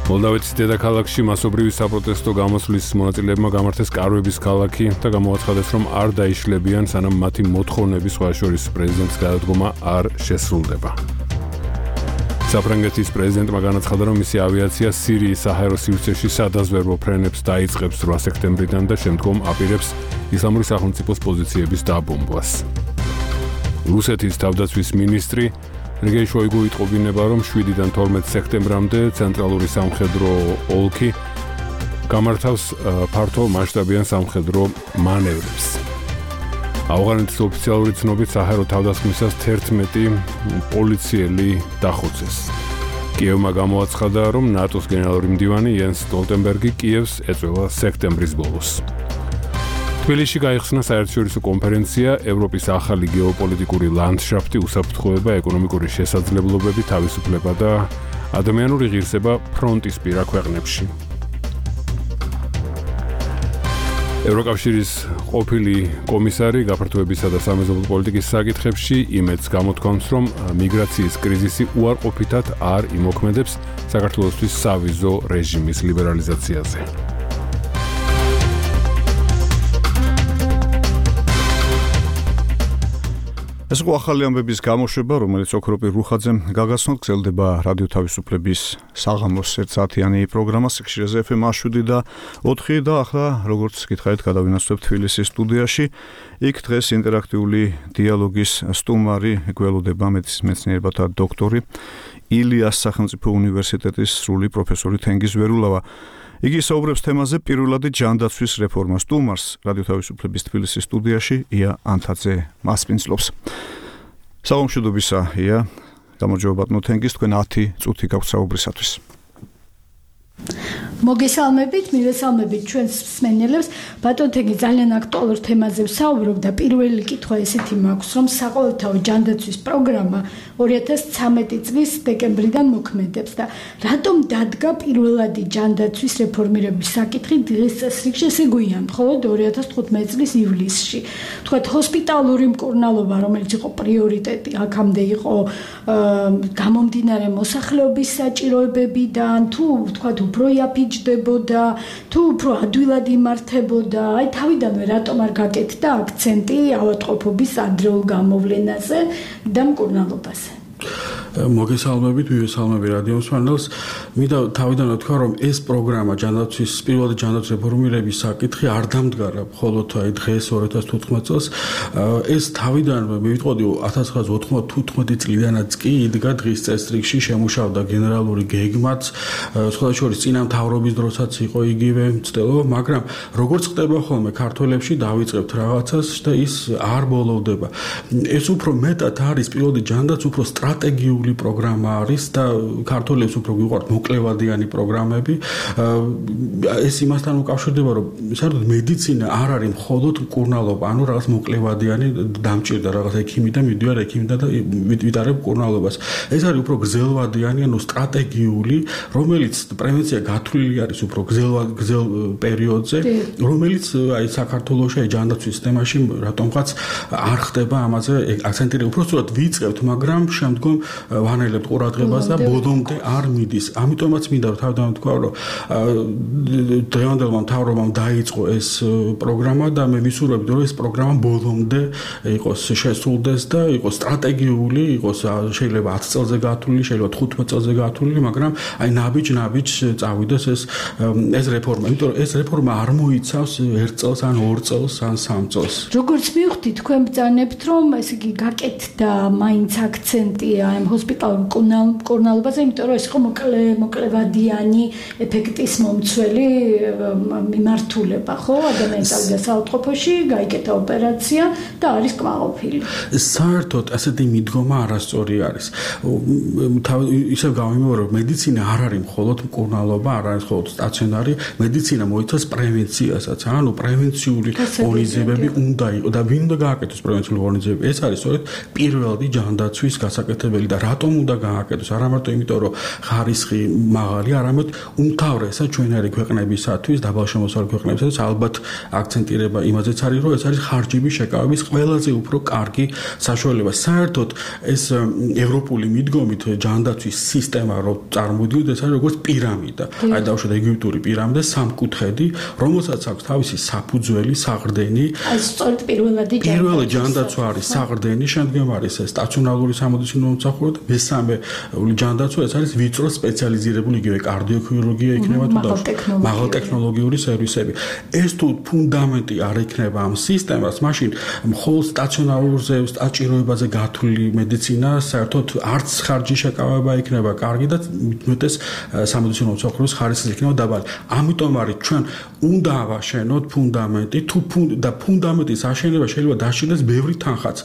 მოლდავეთის დედაქალაქში მასობრივი საპროტესტო გამოსვლის მონაწილეებმა გამართეს კარვების ქალაქი და გამოაცხადეს, რომ არ დაიშლებიან, სანამ მათი მოთხოვნები სხვა შორის პრეზიდენტის გადადგომა არ შესრულდება. საფრანგეთის პრეზიდენტმა განაცხადა, რომ მისი ავიაცია სირიის საჰაერო სივრცეში სადაზვერვო ფრენებს დაიწყებს 8 სექტემბრიდან და შემდგომ აპირებს ისლამური სახელმწიფოს პოზიციების დაბომბვას. რუსეთის თავდაცვის მინისტრი სერგეი შოიგუ იტყობინება, რომ 7-დან 12 სექტემბრამდე ცენტრალური სამხედრო ოლქი გამართავს ფართო მასშტაბიან სამხედრო მანევრებს. ავღანეთის ოფიციალური ცნობით საჰაერო თავდასხმისას 11 პოლიციელი დახოცეს. კიევმა გამოაცხადა, რომ ნატოს გენერალური მდივანი იენს სტოლტენბერგი კიევს ეწევა სექტემბრის ბოლოს. თბილისში გაიხსნა საერთაშორისო კონფერენცია ევროპის ახალი გეოპოლიტიკური ლანდშაფტი, უსაფრთხოება, ეკონომიკური შესაძლებლობები, თავისუფლება და ადამიანური ღირსება ფრონტისპირა ქვეყნებში. ევროკავშირის ყოფილი კომისარი გაფართოებისა და სამეზობლო პოლიტიკის საკითხებში იმედს გამოთქვამს, რომ მიგრაციის კრიზისი უარყოფითად არ იმოქმედებს საქართველოსთვის სავიზო რეჟიმის ლიბერალიზაციაზე. ეს იყო ახალი ამბების გამოშვება, რომელიც ოქროპირ რუხაძემ გაგაცნოთ. გრძელდება რადიო თავისუფლების საღამოს 1 საათიანი პროგრამა სიხშირეზე FM 7 და 4 და ახლა როგორც გითხარით გადავინაცვლებთ თბილისის სტუდიაში. იქ დღეს ინტერაქტიული დიალოგის სტუმარი გველოდება მეცნიერებათა დოქტორი ილიას სახელმწიფო უნივერსიტეტის სრული პროფესორი თენგიზ ვერულავა. იგი საუბრებს თემაზე პირველადი ჯანდაცვის რეფორმას. სტუმარს რადიო თავისუფლების თბილისის სტუდიაში ია ანთაძე მასპინძლობს. საღამოშიდობისა ია, გამარჯობა ბატონო თენგიზ, თქვენ 10 წუთი გაქვთ საუბრისათვის. მოგესალმებით, მივესალმებით ჩვენს მსმენელებს. ბატონო თენგი ძალიან აქტუალურ თემაზე ვსაუბრობ და პირველი კითხვა ესეთი მაქვს, რომ საყოველთაო ჯანდაცვის პროგრამა 2013 წლის დეკემბრიდან მოქმედებს და რატომ დადგა პირველადი ჯანდაცვის რეფორმირების საკითხი დღეს წესრიგში, ესე გვიან, მხოლოდ 2015 წლის ივლისში. თქვათ ჰოსპიტალური მკურნალობა, რომელიც იყო პრიორიტეტი, აქამდე იყო გამომდინარე მოსახლეობის საჭიროებებიდან, თუ თქვათ უფრო იაფიჯდებოდა, თუ უფრო ადვილად იმართებოდა, აი თავიდანვე რატომ არ გაკეთდა აქცენტი ავადმყოფობის ადრეულ გამოვლენაზე და მკურნალობაზე? მოგესალმებით, მივესალმები რადიო მსმენელს. მინდა თავიდან ვთქვა, რომ ეს პროგრამა ჯანდაცვის პირველი ჯანდაცვის რეფორმირების საკითხი არ დამდგარა მხოლოდ აი დღეს 2015 წელს. ეს თავიდანვე მივიტყოდი 1995 წლიდანაც კი იდგა დღის წესრიგში, შემუშავდა გენერალური გეგმაც, სხვადასხვა წინა მთავრობის დროსაც იყო იგივე მცდელობა, მაგრამ როგორც ხდება ხოლმე ქართველებში დავიწყებთ რაღაცას და ის არ ბოლოვდება. ეს უფრო მეტად არის პირველი ჯანდაც უფრო სტრატეგიული პროგრამა არის და ქართველებს უფრო გვიყვართ მოკლევადიანი პროგრამები. ეს იმასთან უკავშირდება, რომ საერთოდ მედიცინა არ არის მხოლოდ მკურნალობა, ანუ რაღაც მოკლევადიანი დამჭირდა რაღაც ექიმი და მიდივარ ექიმდა და ვიტარებ მკურნალობას. ეს არის უფრო გრძელვადიანი, ანუ სტრატეგიული, რომელიც პრევენცია გათვლილი არის უფრო გრძელ პერიოდზე, რომელიც აი საქართველოში აი ჯანდაცვის სისტემაში რატომღაც არ ხდება ამაზე აქცენტი. უბრალოდ ვიწყებთ, მაგრამ შემდგომ ვანაილებთ ყურადღებას და ბოლომდე არ მიდის. ამიტომაც მინდა თავდაპირველად თქვა, რომ დღევანდელმა მთავრობამ დაიწყო ეს პროგრამა და მე ვისურვებდი, რომ ეს პროგრამა ბოლომდე იყოს შესრულდეს და იყოს სტრატეგიული, იყოს შეიძლება 10 წელზე გათვლილი, შეიძლება 15 წელზე გათვლილი, მაგრამ აი ნაბიჯ წავიდეს ეს რეფორმა. იმიტომ რომ ეს რეფორმა არ მოიცავს 1 წელს ან 2 წელს ან 3 წელს. როგორც მივხვდი, თქვენ ბრძანებთ, რომ ესე იგი გაკეთდა მაინც აქცენტი ამ ჰოსპიტალურ მკურნალობაზე, იმიტომ რომ ეს იყო მოკლევადიანი ეფექტის მომცველი მიმართულება, ხო? ადამიანის წავიდა საავადმყოფოში, გაიკეთა ოპერაცია და არის კმაყოფილი. საერთოდ ასეთი მიდგომა არასწორი არის. ისევ გავიმეორებ, რომ მედიცინა არ არის მხოლოდ მკურნალობა, არ არის მხოლოდ სტაციონარი, მედიცინა მოიცავს პრევენციასაც, ანუ პრევენციული ღონისძიებები უნდა იყოს და ვინ უნდა გააკეთოს პრევენციული ღონისძიებები? ეს არის სწორედ პირველი ჯანდაცვის გასაკეთებელი და რატომ უნდა გააკეთოს? არა მარტო იმიტომ, რომ ხარისხი მაღალი, არამედ უმთავრესად ჩვენარი ქვეყნებისათვის, დაბალშემოსავლე ქვეყნებისათვის ალბათ აქცენტირება იმაზეც არის, რომ ეს არის ხარჯების შეკავების ყველაზე უფრო კარგი საშუალება. საერთოდ ეს ევროპული მიდგომით ჯანდაცვის სისტემა რო წარმოიდგინოთ, ეს არის როგორც პირამიდა. აი დავუშვათ ეგვიპტური პირამიდა, სამკუთხედი, რომელსაც აქვს თავისი საფუძველი, საყრდენი. აი სწორედ პირველი ჯანდაცვა არის საყრდენი, შემდგომ არის სტაციონარული სამედიცინო მომსახურება და მესამე ჯანდაცვა ეს არის ვიწრო სპეციალიზირებული იგივე კარდიოქირურგია იქნება თუ მაღალტექნოლოგიური სერვისები. ეს თუ ფუნდამენტი არ იქნება ამ სისტემას, მაშინ მხოლოდ სტაციონარულზე საჭიროებაზე გათვლილი მედიცინა საერთოდ არც ხარჯი შეკავება იქნება კარგი და მეტეს სამედიცინო მომსახურების ხარისხი იქნება დაბალი. ამიტომ არის ჩვენ უნდა ავაშენოთ ფუნდამენტი და ფუნდამენტის აშენება შეიძლება დაშინდეს ბევრი თანხაც.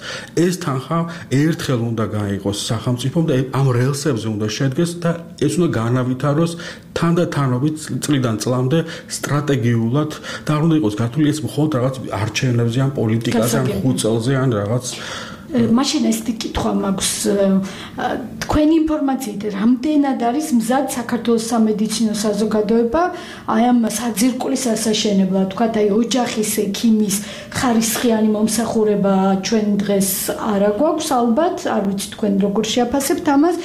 ეს თანხა ერთხელ უნდა გაიყოს სახელმწიფომ და ამ რელსებზე უნდა შედგეს და ეს უნდა განავითაროს თანდათანობით წლიდან წლამდე სტრატეგიულად და არ უნდა იყოს გათვლილი ეს მხოლოდ რაღაც არჩევნებზე ან პოლიტიკაზე ან 5 წელზე ან რაღაც მაშინ ესეთი კითხვა მაქვს თქვენი ინფორმაციით რამდენად არის მზად საქართველოს სამედიცინო საზოგადოება აი ამ საძირკვლის ასაშენებლად თქვათ აი ოჯახის ექიმის ხარისხიანი მომსახურება ჩვენ დღეს არა გვაქვს ალბათ არ ვიცი თქვენ როგორ შეაფასებთ ამას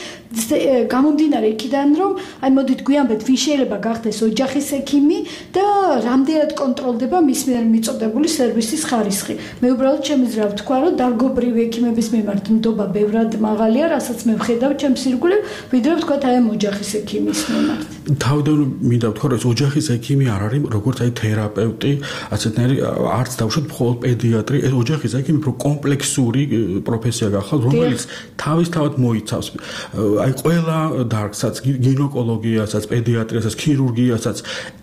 გამომდინარე იქიდან რომ აი მოდით გვიამბეთ ვინ შეიძლება გახდეს ოჯახის ექიმი და რამდენად კონტროლდება მის მიერ მიწოდებული სერვისის ხარისხი მე უბრალოდ შემიძლია ვთქვა რომ დარგობრივი ექიმების მიმართ ნდობა ბევრად მაღალია რასაც მე ვხედავ ჩემს ირგვლივ ვიდრე ვთქვათ აი ამ ოჯახის ექიმის მიმართ თავდაპირველად მინდა ვთქვა რომ ოჯახის ექიმი არ არის როგორც აი თერაპევტი ასეთნაირი არც დავუშვათ მხოლოდ პედიატრი ეს ოჯახის ექიმი უფრო კომპლექსური პროფესია გახალ რომელიც თავისთავად მოიცავს აი ყველა დარგსაც გინეკოლოგიასაც, პედიატრიასაც, ქირურგიასაც,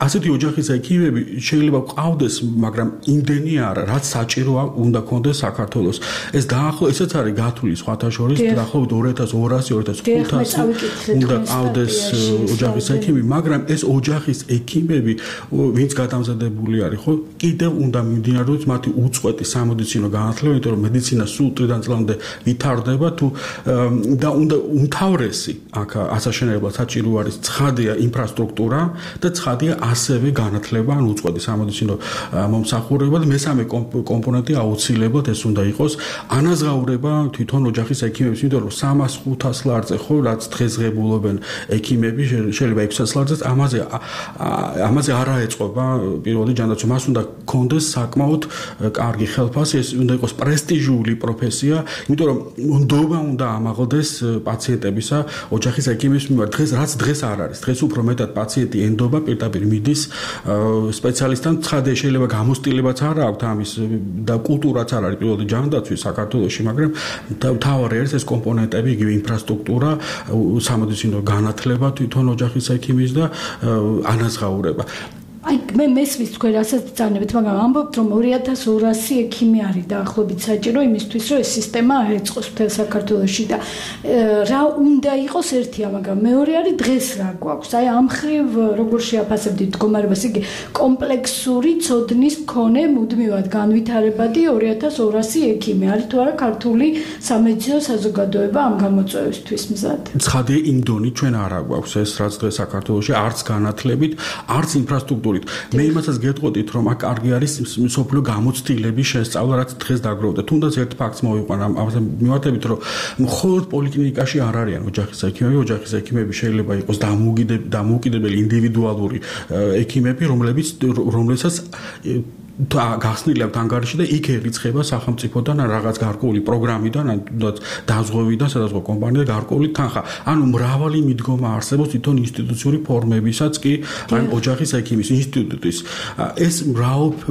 ასეთი ოჯახის ექიმები შეიძლება ყავდეს, მაგრამ იმდენი არა, რაც საჭიროა უნდა ქონდეს საქართველოს. ეს დაახლოებით ესეც არის გათვლილი სხვათა შორის, დაახლოებით 2200-2500 უნდა ყავდეს ოჯახის ექიმი, მაგრამ ეს ოჯახის ექიმები, ვინც გადამზადებული არის, ხო, კიდევ უნდა მიმდინარეობს მათი უწყვეტი სამედიცინო განათლება, იმიტომ რომ მედიცინა სულ წლიდან წლამდე ვითარდება თუ და უნდა უმთავრესი აქ ასაშენებლად საჭირო არის ცხადია ინფრასტრუქტურა და ცხადია ასევე განათლება ან უწყვეტი სამედიცინო მომსახურება და მესამე კომპონენტი აუცილებლად ეს უნდა იყოს ანაზღაურება თვითონ ოჯახის ექიმებს, იმიტომ რომ 300-500 ლარზე ხო რაც დღესღებულობენ ექიმები შეიძლება 600 ლარზეც ამაზე არ აეწყობა პირველი ჯანდაცვა მას უნდა კონდეს საკმაოდ კარგი ხელფასი ეს უნდა იყოს პრესტიჟული პროფესია, იმიტომ რომ ნდობა უნდა ამაღლდეს პაციენტებისა ოჯახის ექიმის მიმართ დღეს არ არის. დღეს უფრო მეტად პაციენტი ენდობა პირდაპირ მიდის სპეციალისტთან ცხადია შეიძლება გამოსტილებაც არ აქვს ამის და კულტურაც არ არის პირველი ჯანდაცვის საქართველოში, მაგრამ თავარი არის ეს კომპონენტები, იგივე ინფრასტრუქტურა, სამედიცინო განათლება თვითონ ოჯახის ექიმის და ანაზღაურება. აი მე მესმის თქვენ რასაც წანებით, მაგრამ ამბობთ რომ 2200 ექიმი არის დაახლოებით საჭირო იმისთვის რომ ეს სისტემა აეწყოს მთელ საქართველოში და რა უნდა იყოს ერთია, მაგრამ მეორე არის დღეს რა გვაქვს. აი ამ ხრივ როგორ შეაფასებდით მდგომარებას, იგი კომპლექსური ცოდნის მქონე მუდმივად განვითარებადი 2200 ექიმი არის თუ არა ქართული სამედიცინო საზოგადოება ამ გამოწვევისთვის მზად. ცხადია იმ დონით ჩვენ არ გვაქვს ეს რაც დღეს საქართველოში არც განათლებით, არც ინფრასტრუქტურით სრულით. მე იმასაც გეტყოდით, რომ აქ კარგი არის მსოფლიო გამოცდილების შესწავლა, რაც დღეს დაგროვდა. თუნდაც ერთ ფაქტს მოვიყვან ამაზე მიმართებით, რომ მხოლოდ პოლიკლინიკაში არ არიან ოჯახის ექიმები, ოჯახის ექიმები შეიძლება იყოს დამოუკიდებელი ინდივიდუალური ექიმები, რომლებსაც გახსნილი აქვს ანგარიში და იქ ერიცხება სახელმწიფოდან რაღაც გარკვეული პროგრამიდან, ან თუნდაც დაზღვევიდან, სადაზღვევ კომპანიიდან გარკვეული თანხა. ანუ მრავალი მიდგომა არსებობს თვითონ ინსტიტუციური ფორმებისაც კი, ან ოჯახის ექიმის ინსტიტუტის. ეს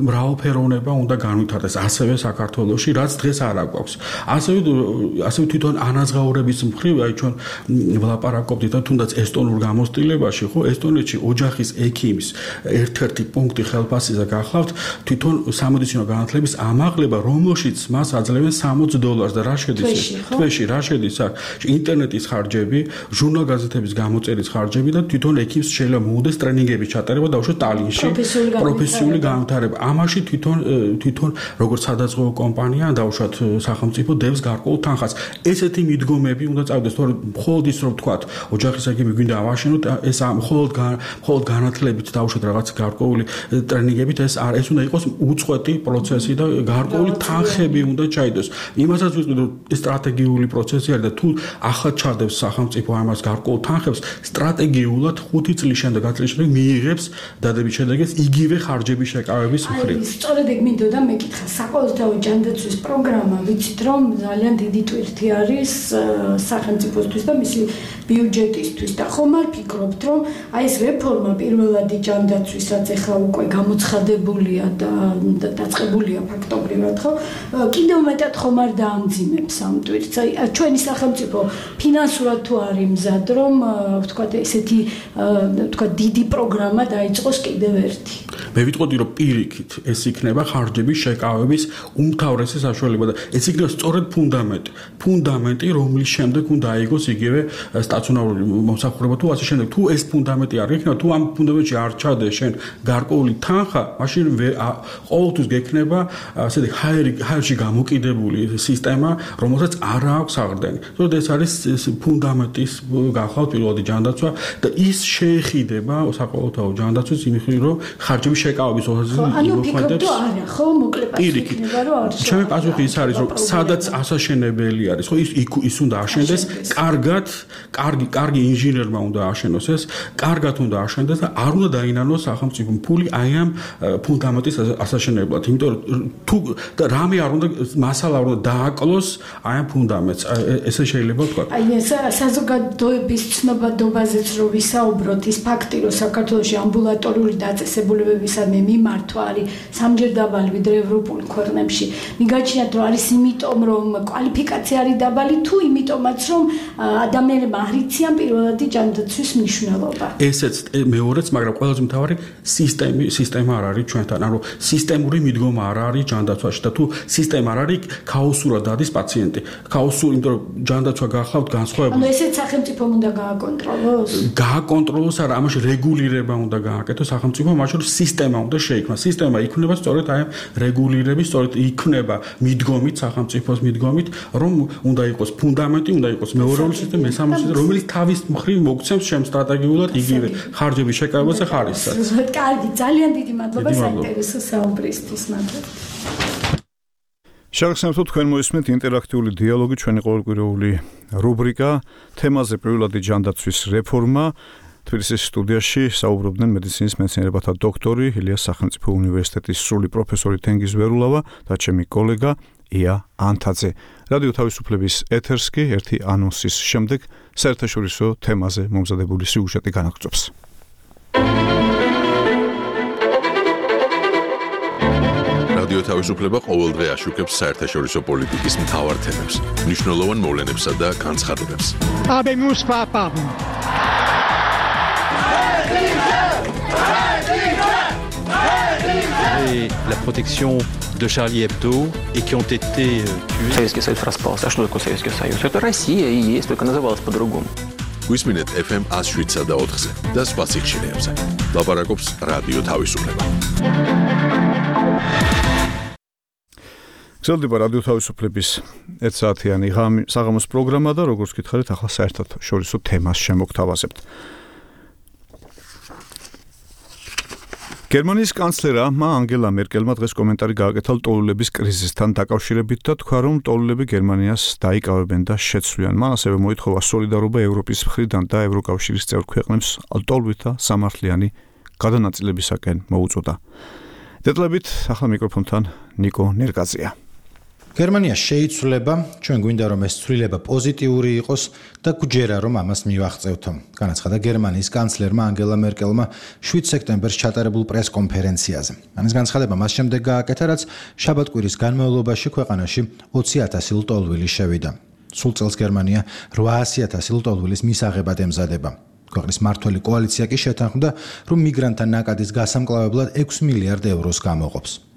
მრავალფეროვნება უნდა განვითარდეს ასევე საქართველოში, რაც დღეს არ აქვს. ასევე თვითონ ანაზღაურების მხრივ, აი ჩვენ ვლაპარაკობთ და თუნდაც ესტონურ გამოცდილებაში, ხო, ესტონეთში ოჯახის ექიმის ერთ-ერთი პუნქტი ხელფასზე გახლავთ თვითონ სამედიცინო განათლების ამაღლება, რომელშიც მას აძლევენ $60 და რა შედის თვეში, რა შედის აქ? ინტერნეტის ხარჯები, ჟურნალ-გაზეთების გამოწერის ხარჯები და თვითონ ექიმს შეიძლება მოუდეს ტრენინგების ჩატარება დაუშვათ ტალინში, პროფესიული განვითარება. ამაში თვითონ როგორც სადაზღვევო კომპანია, დაუშვათ სახელმწიფო დევს გარკვეულ თანხას. ესეთი მიდგომები უნდა წავიდეს, თორემ მხოლოდ ის რომ თქვათ, ოჯახის ექიმი გვინდა ავაშენოთ, ეს მხოლოდ განათლებით დაუშვათ რაღაც გარკვეული ტრენინგებით ეს უნდა იყოს უწყვეტი პროცესი და გარკვეული თანხები უნდა ჩაიდოს. იმასაც ვიტყვი, რომ ეს სტრატეგიული პროცესი არის და თუ ახლა ჩადებს სახელმწიფო ამას გარკვეულ თანხებს, სტრატეგიულად 5 წლის შემდეგ, 10 წლის შემდეგ მიიღებს დადებით შედეგებს იგივე ხარჯების შეკავების მხრივ. სწორედ ეგ მინდოდა მეკითხა, საყოველთაო ჯანდაცვის პროგრამა, ვიცით რომ ძალიან დიდი ტვირთი არის სახელმწიფოსთვის და მისი ბიუჯეტისთვის და ხომ არ ფიქრობთ, რომ აი ეს რეფორმა პირველადი ჯანდაცვისაც ახლა უკვე გამოცხადებულია და დაწყებულია ფაქტობრივად, ხო? კიდევ მეტად ხომ არ დაამძიმებს ამ ტვირთს. აი ჩვენი სახელმწიფო ფინანსურად თუ არის მზად, რომ ვთქვათ ესეთი ვთქვათ დიდი პროგრამა დაიწყოს კიდევ ერთი. მე ვიტყოდი, რომ პირიქით ეს იქნება ხარჯების შეკავების უმთავრესი საშუალება და ეს იქნება სწორედ ფუნდამენტი, რომლის შემდეგ უნდა აიგოს იგივე სტაციონარული მომსახურება თუ ასე შემდეგ. თუ ეს ფუნდამენტი არ იქნება, თუ ამ ფუნდამენტში არ ჩადე შენ გარკვეული თანხა, მაშინ ყოველთვის გექნება ასეთი ჰაერში გამოკიდებული სისტემა, რომელსაც არ აქვს აღრდენი. ზოგადად ეს არის ფუნდამენტის გახლავთ პირველადი ჯანდაცვა და ის შეეხიდება საყოველთაო ჯანდაცვის იმხრივ, რომ ხარჯების შეკავების ოსაზი იმოქმედებს. არა, ხო, მოკლედ იქნება, რომ არის. ჩემი პასუხი ის არის, რომ სადაც ასაშენებელი არის, ხო, ის უნდა აშენდეს, კარგი ინჟინერმა უნდა აშენოს ეს, კარგად უნდა აშენდეს და არ უნდა დაინანოს სახელმწიფო ფული აი ამ ფუნდამენტის ასაშენებლად. იმიტომ რომ თუ რამე არ უნდა მასალა არ უნდა დააკლოს აი ამ ფუნდამენტს. ესე შეიძლება ვთქვა. აი ეს საზოგადოების ცნობადობაზეც რო ვისაუბროთ, ის ფაქტი, რომ საქართველოში ამბულატორიული დაწესებულებებისადმი მიმართვა არის სამჯერ დაბალი ვიდრე ევროპულ ქვეყნებში. მიგაჩნიათ, რომ არის იმიტომ, რომ კვალიფიკაცია არის დაბალი, თუ იმიტომაც, რომ ადამიანებმა არ იციან პირველადი ჯანდაცვის მნიშვნელობა. ესეც მეორეც, მაგრამ ყველაზე მთავარი სისტემა არ არის ჩვენთან. ანუ სისტემური მიდგომა არ არის ჯანდაცვაში და თუ სისტემა არ არის, ქაოსურად დადის პაციენტი. ქაოსური, იმიტომ რომ ჯანდაცვა გახლავთ განსხვავებული. ანუ ესეც სახელმწიფომ უნდა გააკონტროლოს? გააკონტროლოს არა, ამაში რეგულირება უნდა გააკეთოს სახელმწიფომ, მაშინ სისტემა უნდა შეიქმნას. სისტემა იქნება სწორედ აი ამ რეგულირების, სწორედ იქნება მიდგომით, სახელმწიფოს მიდგომით, რომ უნდა იყოს ფუნდამენტი, უნდა იყოს მეორეული სისტემა, მესამე სისტემა, რომელიც თავის მხრივ მოგცემს ჩემ სტრატეგიულად იგივე ხარჯების შეკავებაზე ხარისხს. კარგი, ძალიან დიდი მადლობა საინტერესო საუბრისთვის, მადლობა. შეგახსენებთ თქვენ მოისმენთ ინტერაქტიული დიალოგი, ჩვენი ყოველკვირეული რუბრიკა თემაზე პირველადი ჯანდაცვის რეფორმა. თბილისის სტუდიაში საუბრობდნენ მედიცინის მეცნიერებათა დოქტორი, ილიას სახელმწიფო უნივერსიტეტის სრული პროფესორი თენგიზ ვერულავა და ჩემი კოლეგა ია ანთაძე. რადიო თავისუფლების ეთერს კი ერთი ანონსის შემდეგ საერთაშორისო თემაზე მომზადებული სიუჟეტი განაგრძობს. რადიო თავისუფლება ყოველდღე აშუქებს საერთაშორისო პოლიტიკის მთავარ თემებს, მნიშვნელოვან მოვლენებსა და განცხადებებს. La protection de Charlie Hebdo et qui ont été tués. Советский Союз распался. А что такое Советский Союз? Это Россия и есть, только называлась по-другому. გვისმინეთ FM 107 და 4-ზე და სხვა სიხშირეებზე. ლაპარაკობს რადიო თავისუფლება. გრძელდება რადიო თავისუფლების 1 საათიანი საღამოს პროგრამა და როგორც გითხარით, ახლა საერთაშორისო თემას შემოგთავაზებთ. გერმანიის კანცლერმა ანგელა მერკელმა დღეს კომენტარი გააკეთა ლტოლვილების კრიზისთან დაკავშირებით და თქვა, რომ ლტოლვილები გერმანიას დაიკავებენ და შეცვლიან. მან ასევე მოითხოვა სოლიდარობა ევროპის მხრიდან და ევროკავშირის წევრ ქვეყნებს ლტოლვილთა სამართლიანი გადანაწილებისაკენ მოუწოდა. დეტალებით ახლა მიკროფონთან ნიკო ნერგაძეა. გერმანია შეიცვლება, ჩვენ გვინდა რომ ეს ცვლილება პოზიტიური იყოს და გვჯერა რომ ამას მივაღწევთ. განაცხადა გერმანიის კანცლერმა ანგელა მერკელმა 7 სექტემბერს ჩატარებულ პრეს-კონფერენციაზე. ამის განცხადება მას შემდეგ გააკეთა, რაც შაბათ-კვირის განმავლობაში ქვეყანაში 20,000 ლტოლვილი შევიდა. სულ წელს გერმანია 800,000 ლტოლვილის მისაღებად ემზადება. ქვეყნის მმართველი კოალიცია კი შეთანხმდა, რომ მიგრანტთა ნაკადის გასამკლავებლად 6 მილიარდ ევროს გამოყოფს.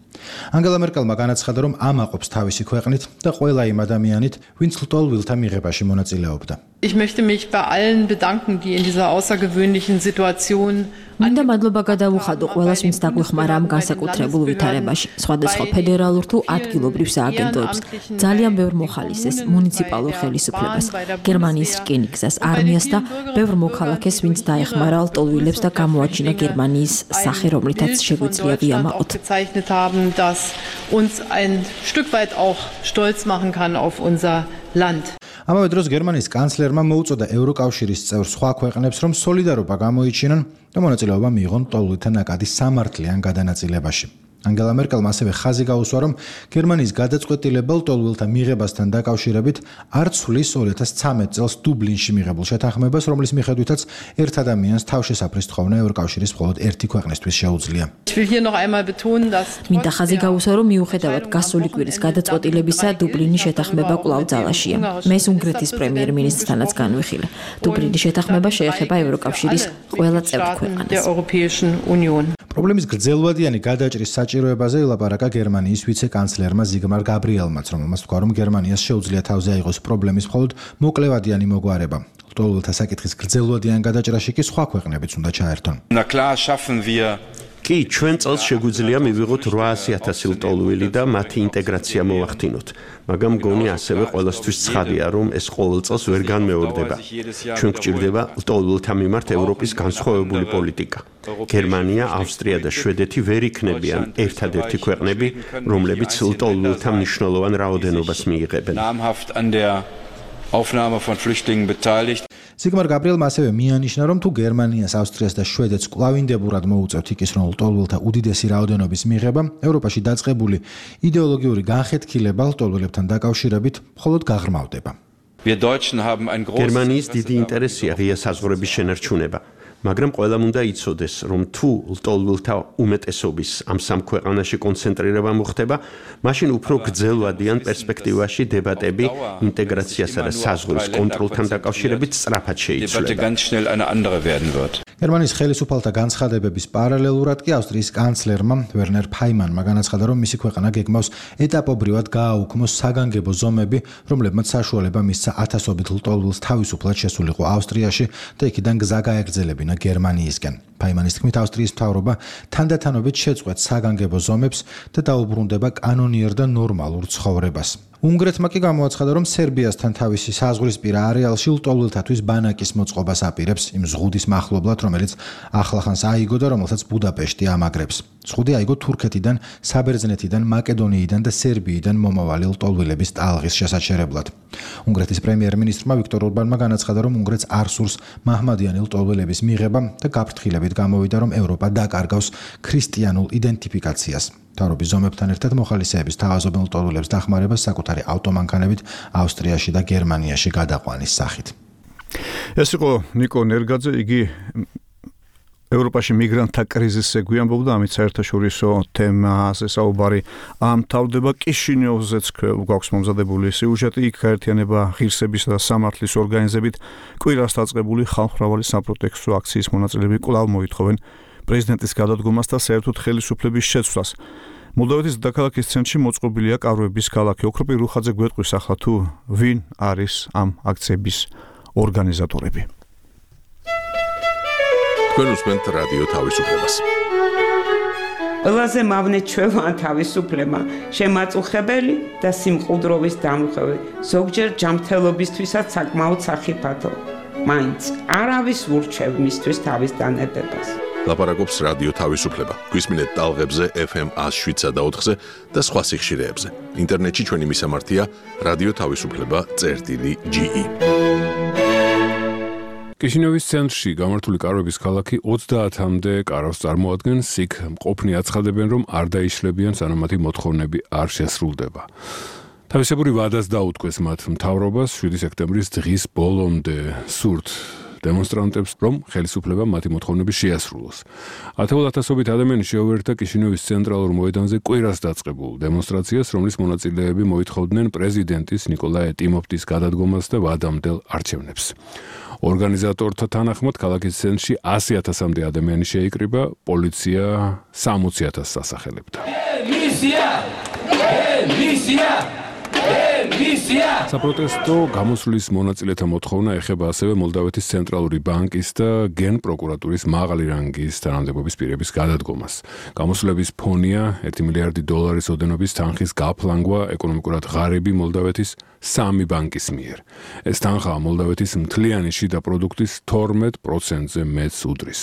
ანგელა მერკელმა განაცხადა, რომ ამაყობს თავისი ქვეყნით და ყველა იმ ადამიანით, ვინც ლტოლვილთა მიღებაში მონაწილეობდა. Ich möchte mich bei allen bedanken, die in dieser außergewöhnlichen Situation მინდა მადლობა გადავუხადო ყველას, ვინც დაგვეხმარა ამ განსაკუთრებულ ვითარებაში, სხვადასხვა ფედერალურ თუ ადგილობრივ სააგენტოებს, ძალიან ბევრ მოხალისეს, მუნიციპალურ ხელისუფლებას, გერმანიის რკინიგზას, არმიას და ბევრ მოქალაქეს, ვინც დაეხმარა ლტოლვილებს და გამოაჩინა გერმანიის სახე, რომლითაც შეგვიძლია ვიამაყოთ. das uns ein Stück weit auch stolz machen kann auf unser Land. ამავე დროს გერმანიის კანცლერმა მოუწოდა ევროკავშირის წევრ სხვა ქვეყნებს, რომ სოლიდარობა გამოიჩინონ და მონაწილეობა მიიღონ ლტოლვილთა ნაკადის სამართლიან გადანაწილებაში. ანგელა მერკელმა ასევე ხაზი გაუსვა, რომ გერმანიის გადაწყვეტილება ლტოლვილთა მიღებასთან დაკავშირებით არ ცვლის 2013 წელს დუბლინში მიღებულ შეთანხმებას, რომლის მიხედვითაც ერთ ადამიანს თავშესაფრის თხოვნა ევროკავშირის მხოლოდ ერთი ქვეყნისთვის შეუძლია. მინდა ხაზი გაუსვა, რომ მიუხედავად გასული კვირის გადაწყვეტილებისა, დუბლინის შეთანხმება კვლავ ძალაშია. მე უნგრეთის პრემიერ-მინისტრთანაც განვიხილე. დუბლინის შეთანხმება შეეხება ევროკავშირის ყველა წევრ ქვეყანას. პრობლემის გრძელვადიანი გადაჭრის საჭიროებაზე ელაპარაკა გერმანიის ვიცე-კანცლერმა ზიგმარ გაბრიელმაც, რომელმაც თქვა, რომ გერმანიას შეუძლია თავზე აიღოს პრობლემის მხოლოდ მოკლევადიანი მოგვარება. ლტოლვილთა საკითხის გრძელვადიან გადაჭრაში კი სხვა ქვეყნებიც უნდა ჩაერთონ. კი, ჩვენ წელს შეგვიძლია მივიღოთ 800,000 ლტოლვილი და მათი ინტეგრაცია მოვახდინოთ. მაგრამ მგონი ასევე ყველასთვის ცხადია, რომ ეს ყოველ წელს ვერ განმეორდება. ჩვენ გვჭირდება ლტოლვილთა მიმართ ევროპის განსხვავებული პოლიტიკა. გერმანია, ავსტრია და შვედეთი ვერ იქნებიან ერთადერთი ქვეყნები, რომლებიც ლტოლვილთა მნიშვნელოვან რაოდენობას მიიღებენ. ზიგმარ გაბრიელმა ასევე მიანიშნა, რომ თუ გერმანიას, ავსტრიას და შვედეთს კვლავინდებურად მოუწევთ იქის, რომ ლტოლვილთა უდიდესი რაოდენობის მიღება, ევროპაში დაწყებული იდეოლოგიური განხეთქილება ლტოლვილებთან დაკავშირებით მხოლოდ გაღრმავდება. გერმანიის დიდი ინტერესია ღია საზღვრების შენარჩუნება. მაგრამ ყველამ უნდა იცოდეს, რომ თუ ლტოლვილთა უმეტესობის ამ სამ ქვეყანაში კონცენტრირება მოხდება, მაშინ უფრო გრძელვადიან პერსპექტივაში დებატები ინტეგრაციასა და საზღვრის კონტროლთან დაკავშირებით სწრაფად შეიცვლება. გერმანიის ხელისუფალთა განცხადებების პარალელურად კი ავსტრიის კანცლერმა ვერნერ ფაიმანმა განაცხადა, რომ მისი ქვეყანა გეგმავს ეტაპობრივად გააუქმოს საგანგებო ზომები, რომლებმაც საშუალება მისცა ათასობით ლტოლვილს თავისუფლად შესულიყო ავსტრიაში და იქიდან გზა გაეგრძელებინა გერმანიისკენ. ფაიმანის თქმით, ავსტრიის მთავრობა თანდათანობით შეწყვეტს საგანგებო ზომებს და დაუბრუნდება კანონიერ და ნორმალურ ცხოვრებას. უნგრეთმა კი გამოაცხადა, რომ სერბიასთან თავისი საზღვრისპირა არეალში ლტოლვილთათვის ბანაკის მოწყობას აპირებს იმ ზღუდის მახლობლად, რომელიც ახლახანს აიგო და რომელსაც ბუდაპეშტი ამაგრებს. ზღუდი აიგო თურქეთიდან, საბერძნეთიდან, მაკედონიიდან და სერბიიდან მომავალი ლტოლვილების ტალღის შესაჩერებლად. უნგრეთის პრემიერ-მინისტრმა ვიქტორ ორბანმა განაცხადა, რომ უნგრეთს არ სურს მაჰმადიანი ლტოლვილების მიღება და გაფრთხილებით გამოვიდა, რომ ევროპა დაკარგავს ქრისტიანულ იდენტიფიკაციას. მთავრობის ზომებთან ერთად მოხალისეების თავაზობენ ლტოლვილებს დახმარებას საკუთარი ავტომანქანებით ავსტრიაში და გერმანიაში გადაყვანის სახით. ეს იყო ნიკო ნერგაძე, იგი ევროპაში მიგრანტთა კრიზისზე გვიამბობდა, ამით საერთაშორისო თემაზე საუბარი ამთავრდება. კიშინიოვზეც გვაქვს მომზადებული სიუჟეტი, იქ გაერთიანება ღირსებისა და სამართლის ორგანიზებით კვირას დაწყებული ხალხმრავალი საპროტესტო აქციის მონაწილეები კვლავ მოითხოვენ პრეზიდენტის გადადგომას და საერთოდ ხელისუფლების შეცვლას. მოლდოვეთის დედაქალაქის ცენტრში მოწყობილია კარვების ქალაქი. ოქროპი რუხაძე გვეტყვის ახლა თუ ვინ არის ამ აქციების ორგანიზატორები. თქვენ უსმენთ რადიო თავისუფლებას. ყველაზე მავნე ჩვევა თავისუფლება, შემაწუხებელი და სიმყუდროვის დამხევი, ზოგჯერ ჯანმრთელობისთვისაც საკმაოდ სახიფათო. მაინც არავის ურჩევ მისთვის თავის დანებებას. ლაპარაკობს რადიო თავისუფლება. გვისმინეთ ტალღებზე FM 107.4-ზე და სხვა სიხშირეებზე. ინტერნეტში ჩვენი მისამართია radioთავისუფლება.ge. კიშინევის ცენტრში გამართული კარვების ქალაქი 30-მდე კარავს წარმოადგენს, იქ მყოფნი აცხადებენ, რომ არ დაიშლებიან, სანამ მათი მოთხოვნები არ შესრულდება. თავისებური ვადას დაუთქვეს მათ მთავრობას 7 სექტემბრის დღის ბოლომდე სურთ დემონსტრანტებს, რომ ხელისუფლება მათი მოთხოვნები შეასრულოს. 10,000-ობით ადამიანი შეუერთდა კიშინევის ცენტრალურ მოედანზე კვირას დაწყებულ დემონსტრაციას, რომლის მონაწილეები მოითხოვდნენ პრეზიდენტის ნიკოლაი ტიმოფტის გადადგომას და ვადამდელ არჩევნებს. ორგანიზატორთა თანახმად ქალაქის ცენტრში 100,000-მდე ადამიანი შეიკრიბა, პოლიცია 60,000-ს ასახელებდა. საპროტესტო გამოსვლის მონაწილეთა მოთხოვნა ეხება ასევე მოლდავეთის ცენტრალური ბანკის და გენპროკურატურის მაღალი რანგის თანამდებობის პირების გადადგომას. გამოსვლების ფონია $1 მილიარდი ოდენობის თანხის გაფლანგვა ეკონომიკურად ღარიბი მოლდავეთის 3 ბანკის მიერ. ეს თანხა მოლდავეთის მთლიანი შიდა პროდუქტის 12%-ზე მეტს უდრის.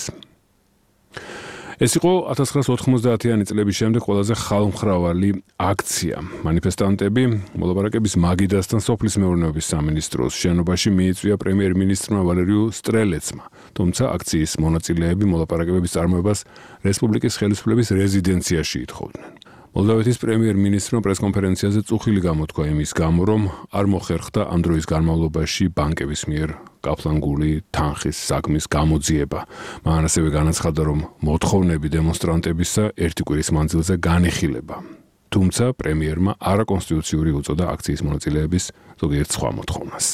ეს იყო 1990-იანი წლების შემდეგ ყველაზე ხალხმრავალი აქცია. მანიფესტანტები მოლაპარაკების მაგიდასთან სოფლის მეურნეობის სამინისტროს შენობაში მიიწვია პრემიერ-მინისტრმა ვალერიუ სტრელეცმა. თუმცა აქციის მონაწილეები მოლაპარაკებების წარმოებას რესპუბლიკის ხელისუფლების რეზიდენციაში ითხოვდნენ. მოლდავეთის პრემიერ-მინისტრმა პრესკონფერენციაზე წუხილი გამოთქვა იმის გამო, რომ არ მოხერხდა ამ დროის განმავლობაში ბანკების მიერ გაფლანგული თანხის საქმის გამოძიება. მან ასევე განაცხადა, რომ მოთხოვნები დემონსტრანტებისა ერთი კვირის მანძილზე განიხილება. თუმცა პრემიერმა არაკონსტიტუციური უწოდა აქციის მონაწილეების ზოგიერთ სხვა მოთხოვნას.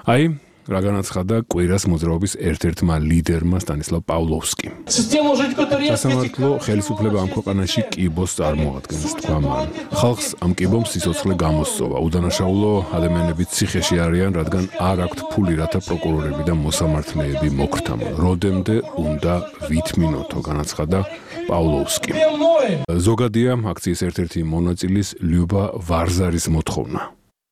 აი რა განაცხადა კვირას მოძრაობის ერთ-ერთმა ლიდერმა სტანისლავ პავლოვსკიმ. სასამართლო ხელისუფლება ამ ქვეყანაში კიბოს წარმოადგენს, თქვა მან. ხალხს ამ კიბომ სიცოცხლე გამოსწოვა. უდანაშაულო ადამიანები ციხეში არიან, რადგან არ აქვთ ფული, რათა პროკურორები და მოსამართლეები მოგრთამონ. როდემდე უნდა ვითმინოთო, განაცხადა პავლოვსკიმ. ზოგადია აქციის ერთ-ერთი მონაწილის ლიუბა ვარზარის მოთხოვნა.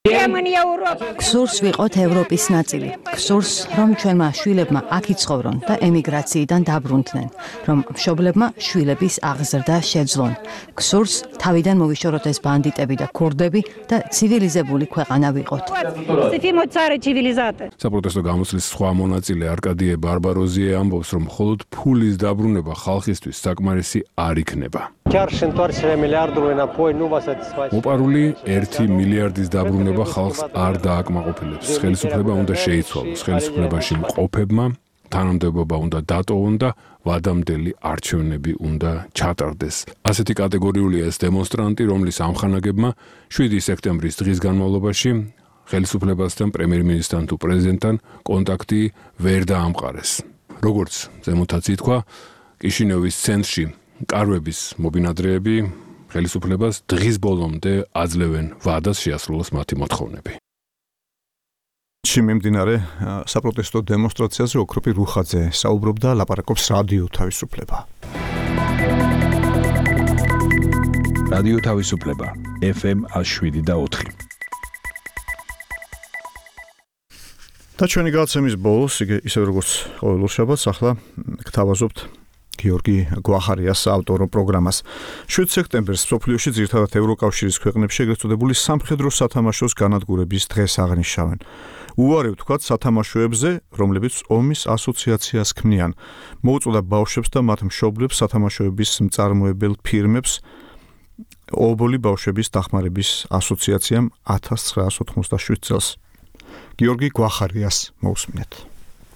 გსურს ვიყოთ ევროპის ნაწილი. გსურს, რომ ჩვენმა შვილებმა აქ იცხოვრონ და ემიგრაციიდან დაბრუნდნენ, რომ მშობლებმა შვილების აღზრდა შეძლონ. გსურს, თავიდან მოვიშოროთ ეს ბანდიტები და ქურდები და ცივილიზებული ქვეყანა ვიყოთ. საპროტესტო გამოსვლის სხვა მონაწილე არკადიე ბარბაროზიე ამბობს, რომ მხოლოდ ფულის დაბრუნება ხალხისთვის საკმარისი არ იქნება. მოპარული 1 მილიარდის დაბრუნება ხალხს არ დააკმაყოფილებს. ხელისუფლება უნდა შეიცვალოს. ხელისუფლებაში მყოფებმა თანამდებობა უნდა დატოვონ და ვადამდელი არჩევნები უნდა ჩატარდეს. ასეთი კატეგორიულია ეს დემონსტრანტი, რომლის ამხანაგებმა 7 სექტემბრის დღის განმავლობაში ხელისუფლებასთან, პრემიერ-მინისტრთან თუ პრეზიდენტთან კონტაქტი ვერ დაამყარეს. როგორც ზემოთაც ითქვა, კიშინევის ცენტრში კარვების მობინადრეები ხელისუფლებას დღის ბოლომდე აძლევენ ვადას შეასრულოს მათი მოთხოვნები. მიმდინარე საპროტესტო დემონსტრაციაზე ოქროპი რუხაძე საუბრობდა, ლაპარაკობს რადიო თავისუფლება. რადიო თავისუფლება FM 107.4. და ჩვენი გადაცემის ბოლოს, ისე როგორც ყოველ შაბათს, ახლა გთავაზობთ გიორგი გვახარიას ავტორო პროგრამას. 7 სექტემბერს სოფლიოში ძირითადად ევროკავშირის ქვეყნებში ეგრეთ წოდებული სამხედრო სათამაშოს განადგურების დღეს აღნიშნავენ. უარი ვთქვათ სათამაშოებზე, რომლებიც ომის ასოციაციას ქმნიან. მოუწოდა ბავშვებს და მათ მშობლებს სათამაშოების მწარმოებელ ფირმებს ობოლი ბავშვების დახმარების ასოციაციამ 1987 წელს. გიორგი გვახარიას მოусმინეთ.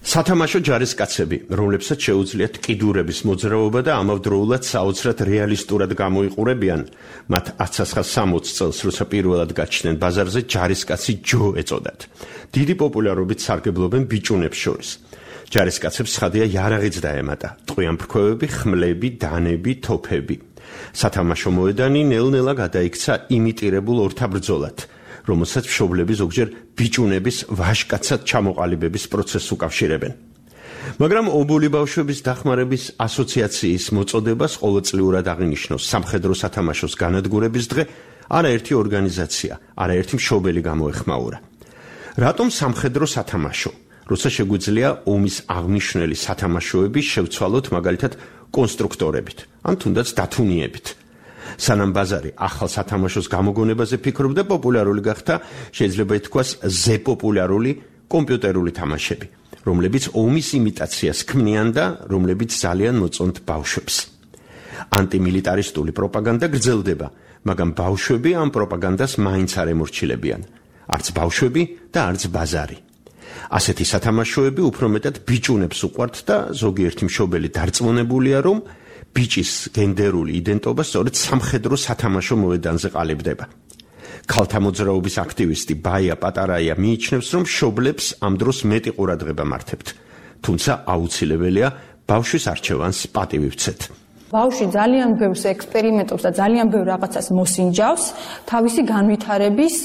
სათამაშო ჯარისკაცები, რომლებსაც შეუძლიათ კიდურების მოძრაობა და ამავდროულად საოცრად რეალისტურად გამოიყურებიან, მათ 1960 წელს, როცა პირველად გაჩნდნენ ბაზარზე, ჯარისკაცი ჯო ეწოდათ. დიდი პოპულარობით სარგებლობენ ბიჭუნებს შორის. ჯარისკაცებს ცხადია იარაღიც დაემატა, ტყვიამფრქვევები, ხმლები, დანები, თოფები. სათამაშო მოედანი ნელ-ნელა გადაიქცა იმიტირებულ ორთაბრძოლად, რომელსაც მშობლები ზოგჯერ ბიჭუნების ვაჟკაცად ჩამოყალიბების პროცესს უკავშირებენ. მაგრამ ობოლი ბავშვების დახმარების ასოციაციის მოწოდებას ყოველწლიურად აღინიშნოს სამხედრო სათამაშოს განადგურების დღე არაერთი ორგანიზაცია, არაერთი მშობელი გამოეხმაურა. რატომ სამხედრო სათამაშო? როცა შეგვიძლია ომის აღნიშნული სათამაშოები შევცვალოთ მაგალითად კონსტრუქტორებით, ან თუნდაც დათუნიებით. სანამ ბაზარი ახალ სათამაშოს გამოგონებაზე ფიქრობდა, პოპულარული გახდა, შეიძლება ითქვას, ზეპოპულარული კომპიუტერული თამაშები, რომლებიც ომის იმიტაციას ქმნიან და რომლებიც ძალიან მოწონთ ბავშვებს. ანტიმილიტარისტული პროპაგანდა გრძელდება, მაგრამ ბავშვები ამ პროპაგანდას მაინც არ ემორჩილებიან. არც ბავშვები და არც ბაზარი. ასეთი სათამაშოები უფრო მეტად ბიჭუნებს უყვართ და ზოგიერთი მშობელი დარწმუნებულია, რომ ბიჭის გენდერული იდენტობა სწორედ სამხედრო სათამაშო მოედანზე ყალიბდება. ქალთა მოძრაობის აქტივისტი ბაია პატარაია მიიჩნევს, რომ მშობლებს ამ დროს მეტი ყურადღება მართებთ, თუმცა აუცილებელია ბავშვის არჩევანს პატივი ვცეთ. ბავშვი ძალიან ბევრს ექსპერიმენტობს და ძალიან ბევრ რაღაცას მოსინჯავს თავისი განვითარების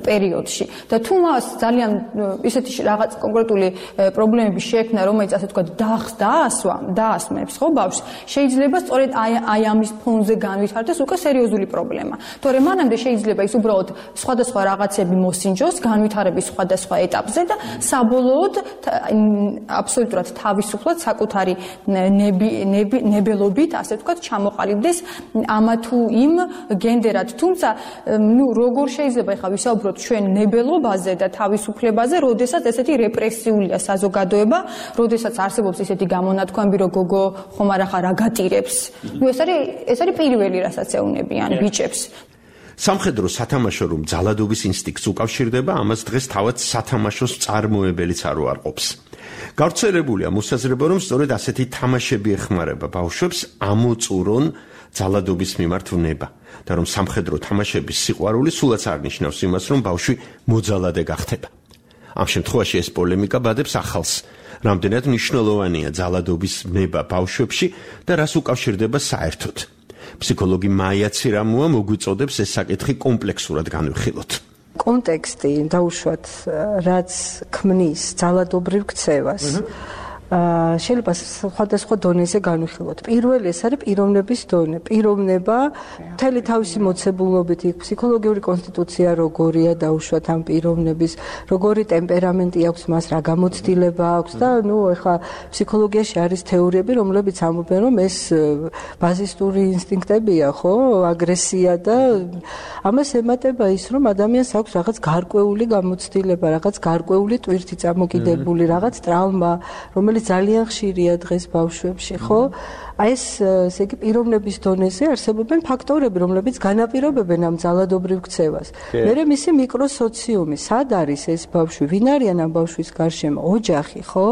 პერიოდში. და თუ მას ძალიან ისეთი რაღაც კონკრეტული პრობლემები შეექმნა, რომელიც ასე ვთქვათ, დაასვამებს, ხო, ბავშვს, შეიძლება სწორედ აი ამის ფონზე განვითარდეს უკვე სერიოზული პრობლემა. თორემ მანამდე შეიძლება ის უბრალოდ სხვადასხვა რაღაცები მოსინჯოს განვითარების სხვადასხვა ეტაპზე და საბოლოოდ აბსოლუტურად თავისუფლად საკუთარი ნებელობით ასე ვთქვათ, ჩამოყალიბდეს ამა თუ იმ გენდერად. თუმცა, როგორ შეიძლება ახლა ვისაუბროთ ჩვენ ნებელობაზე და თავისუფლებაზე, როდესაც ესეთი რეპრესიულია საზოგადოება, როდესაც არსებობს ესეთი გამონათქვამები, რომ გოგო ხომ არ ახლა რა გატირებს. ეს არის პირველი, რასაც ეუბნებიან ბიჭებს. სამხედრო სათამაშო რომ ძალადობის ინსტინქტს უკავშირდება, ამას დღეს თავად სათამაშოს წარმოებელიც არ უარყოფს. გავრცელებულია მოსაზრება, რომ სწორედ ასეთი თამაშები ეხმარება ბავშვებს ამოწურონ ძალადობის მიმართ ვნება და რომ სამხედრო თამაშების სიყვარული სულაც არ ნიშნავს იმას, რომ ბავშვი მოძალადე გახდება. ამ შემთხვევაში ეს პოლემიკა ბადებს ახალს, რამდენად მნიშვნელოვანია ძალადობის ვნება ბავშვებში და რას უკავშირდება საერთოდ. ფსიქოლოგი მაია ცირამუა მოგვიწოდებს ეს საკითხი კომპლექსურად განვიხილოთ. კონტექსტი დაუშვათ, რაც ქმნის ძალადობრივ ქცევას. შეიძლება სხვადასხვა დონეზე განვიხილოთ. პირველი ეს არის პიროვნების დონე. პიროვნება მთელი თავისი მოცებულობით, ფსიქოლოგიური კონსტიტუცია როგორია დაუშვათ ამ პიროვნების, როგორი ტემპერამენტი აქვს მას, რა გამოცდილება აქვს და ეხლა ფსიქოლოგიაში არის თეორიები, რომლებიც ამბობენ, რომ ეს ბაზისტური ინსტინქტებია, ხო, აგრესია და ამას ემატება ის, რომ ადამიანს აქვს რაღაც გარკვეული გამოცდილება, რაღაც გარკვეული ტვირთი წამოკიდებული, რაღაც ტრავმა, რომელიც ძალიან ხშირია დღეს ბავშვებში, ხო? აი ეს ესე იგი პიროვნების დონეზე არსებობენ ფაქტორები, რომლებიც განაპირობებენ ამ ძალადობრივ ქცევას. მერე მისი მიკროსოციუმი, სად არის ეს ბავშვი, ვინ არიან ამ ბავშვის გარშემო, ოჯახი, ხო?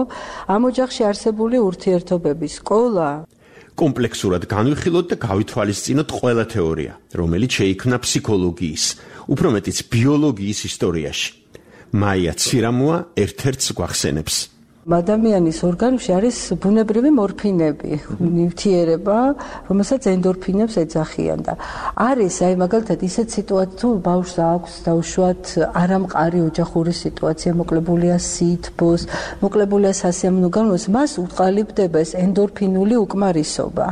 ამ ოჯახში არსებული ურთიერთობები, სკოლა. კომპლექსურად განვიხილოთ და გავითვალისწინოთ ყველა თეორია, რომელიც შეიქმნა ფსიქოლოგიის, უფრო მეტიც ბიოლოგიის ისტორიაში. მაია ცირამუა ერთ-ერთს გვახსენებს. ადამიანის ორგანიზმში არის ბუნებრივი მორფინები, ნივთიერება, რომელსაც ენდორფინებს ეძახიან და არის აი მაგალითად ისეთ სიტუაცია, თუ ბავშვს აქვს დაუშვათ არამყარი ოჯახური სიტუაცია, მოკლებულია სითბოს, მოკლებულია სასიამოვნო განმავლობას, მას უყალიბდება ეს ენდორფინული უკმარისობა.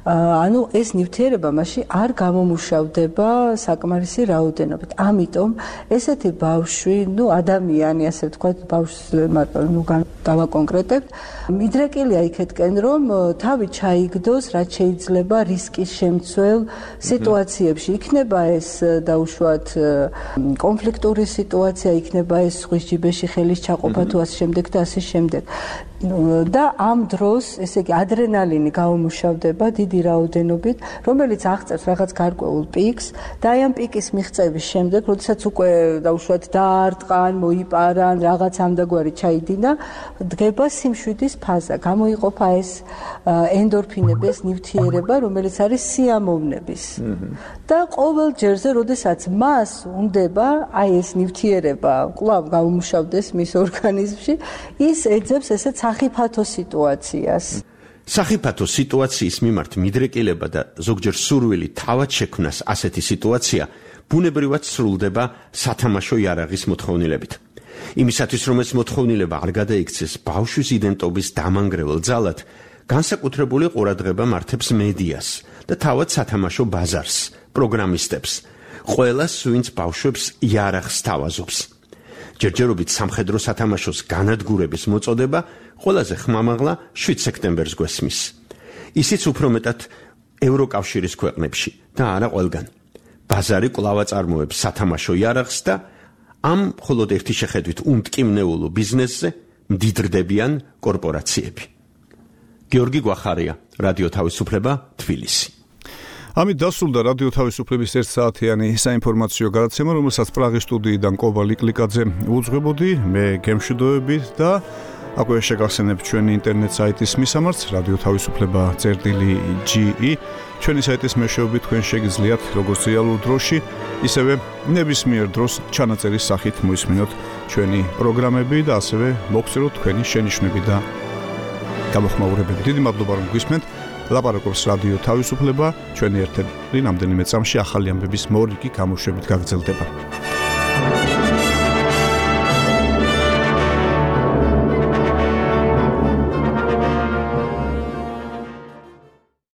ანუ ეს ნივთიერება მასში არ გამომუშავდება საკმარისი რაოდენობით. ამიტომ ესეთი ბავშვი, ადამიანი, ასე ვთქვათ, ბავშვს დავაკონკრეტებთ, მიდრეკილია იქეთკენ, რომ თავი ჩაიგდოს, რაც შეიძლება რისკის შემცველ სიტუაციებში. იქნება ეს დაუშვათ კონფლიქტური სიტუაცია, იქნება ეს ზღვის ჯიბეში ხელის ჩაყოფა თუ ასე შემდეგ და ასე შემდეგ. და ამ დროს, ესე იგი, ადრენალინი გამომუშავდება დიდი რაოდენობით, რომელიც აღწევს რაღაც გარკვეულ პიკს და აი ამ პიკის მიღწევის შემდეგ, როდესაც უკვე დაუშვათ დაარტყან, მოიპარან, რაღაც ამდაგვარი ჩაიდინა, დგება სიმშვიდის ფაზა, გამოიყოფა ეს ენდორფინები, ეს ნივთიერება, რომელიც არის სიამოვნების. და ყოველ ჯერზე, როდესაც მას უნდება აი ეს ნივთიერება კვლავ გამომუშავდეს მის ორგანიზმში, ის ეძებს ესეც სახიფათო სიტუაციას. სახიფათო სიტუაციის მიმართ მიდრეკილება და ზოგჯერ სურვილი თავად შექმნას ასეთი სიტუაცია ბუნებრივად სრულდება სათამაშო იარაღის მოთხოვნილებით. იმისათვის, რომ ეს მოთხოვნილება არ გადაიქცეს ბავშვის იდენტობის დამანგრევალ ძალად, განსაკუთრებული ყურადღება მართებს მედიას და თავად სათამაშო ბაზარს, პროგრამისტებს, ყველას, ვინც ბავშვებს იარაღს თავაზობს. ჯერჯერობით სამხედრო სათამაშოს განადგურების მოწოდება ყველაზე ხმამაღლა 7 სექტემბერს გვესმის. ისიც უფრო მეტად ევროკავშირის ქვეყნებში და არა ყველგან. ბაზარი კვლავ აწარმოებს სათამაშო იარაღს და ამ მხოლოდ ერთი შეხედვით უმტკივნეულო ბიზნესზე მდიდრდებიან კორპორაციები. გიორგი გვახარია, რადიო თავისუფლება, თბილისი. ამით დასრულდა რადიო თავისუფლების 1 საათიანი საინფორმაციო გადაცემა, რომელსაც პრაღის სტუდიიდან კობა ლიკლიკაძე უძღვებოდი, მე გემშვიდობებით და აკვე შეგახსენებთ ჩვენი ინტერნეტ საიტის მისამართს რადიო თავისუფლება.ge. ჩვენი საიტის მეშვეობით თქვენ შეგიძლიათ როგორც რეალურ დროში, ისევე ნებისმიერ დროს ჩანაწერის სახით მოისმინოთ ჩვენი პროგრამები და ასევე მოგწეროთ თქვენი შენიშვნები და გამოხმაურებები. დიდი მადლობა რომ გვისმენთ. ლაპარაკობს რადიო თავისუფლება, ჩვენი ერთები რამდენიმე წამში ახალი ამბების მორიგი გამოშვებით გაგრძელდება.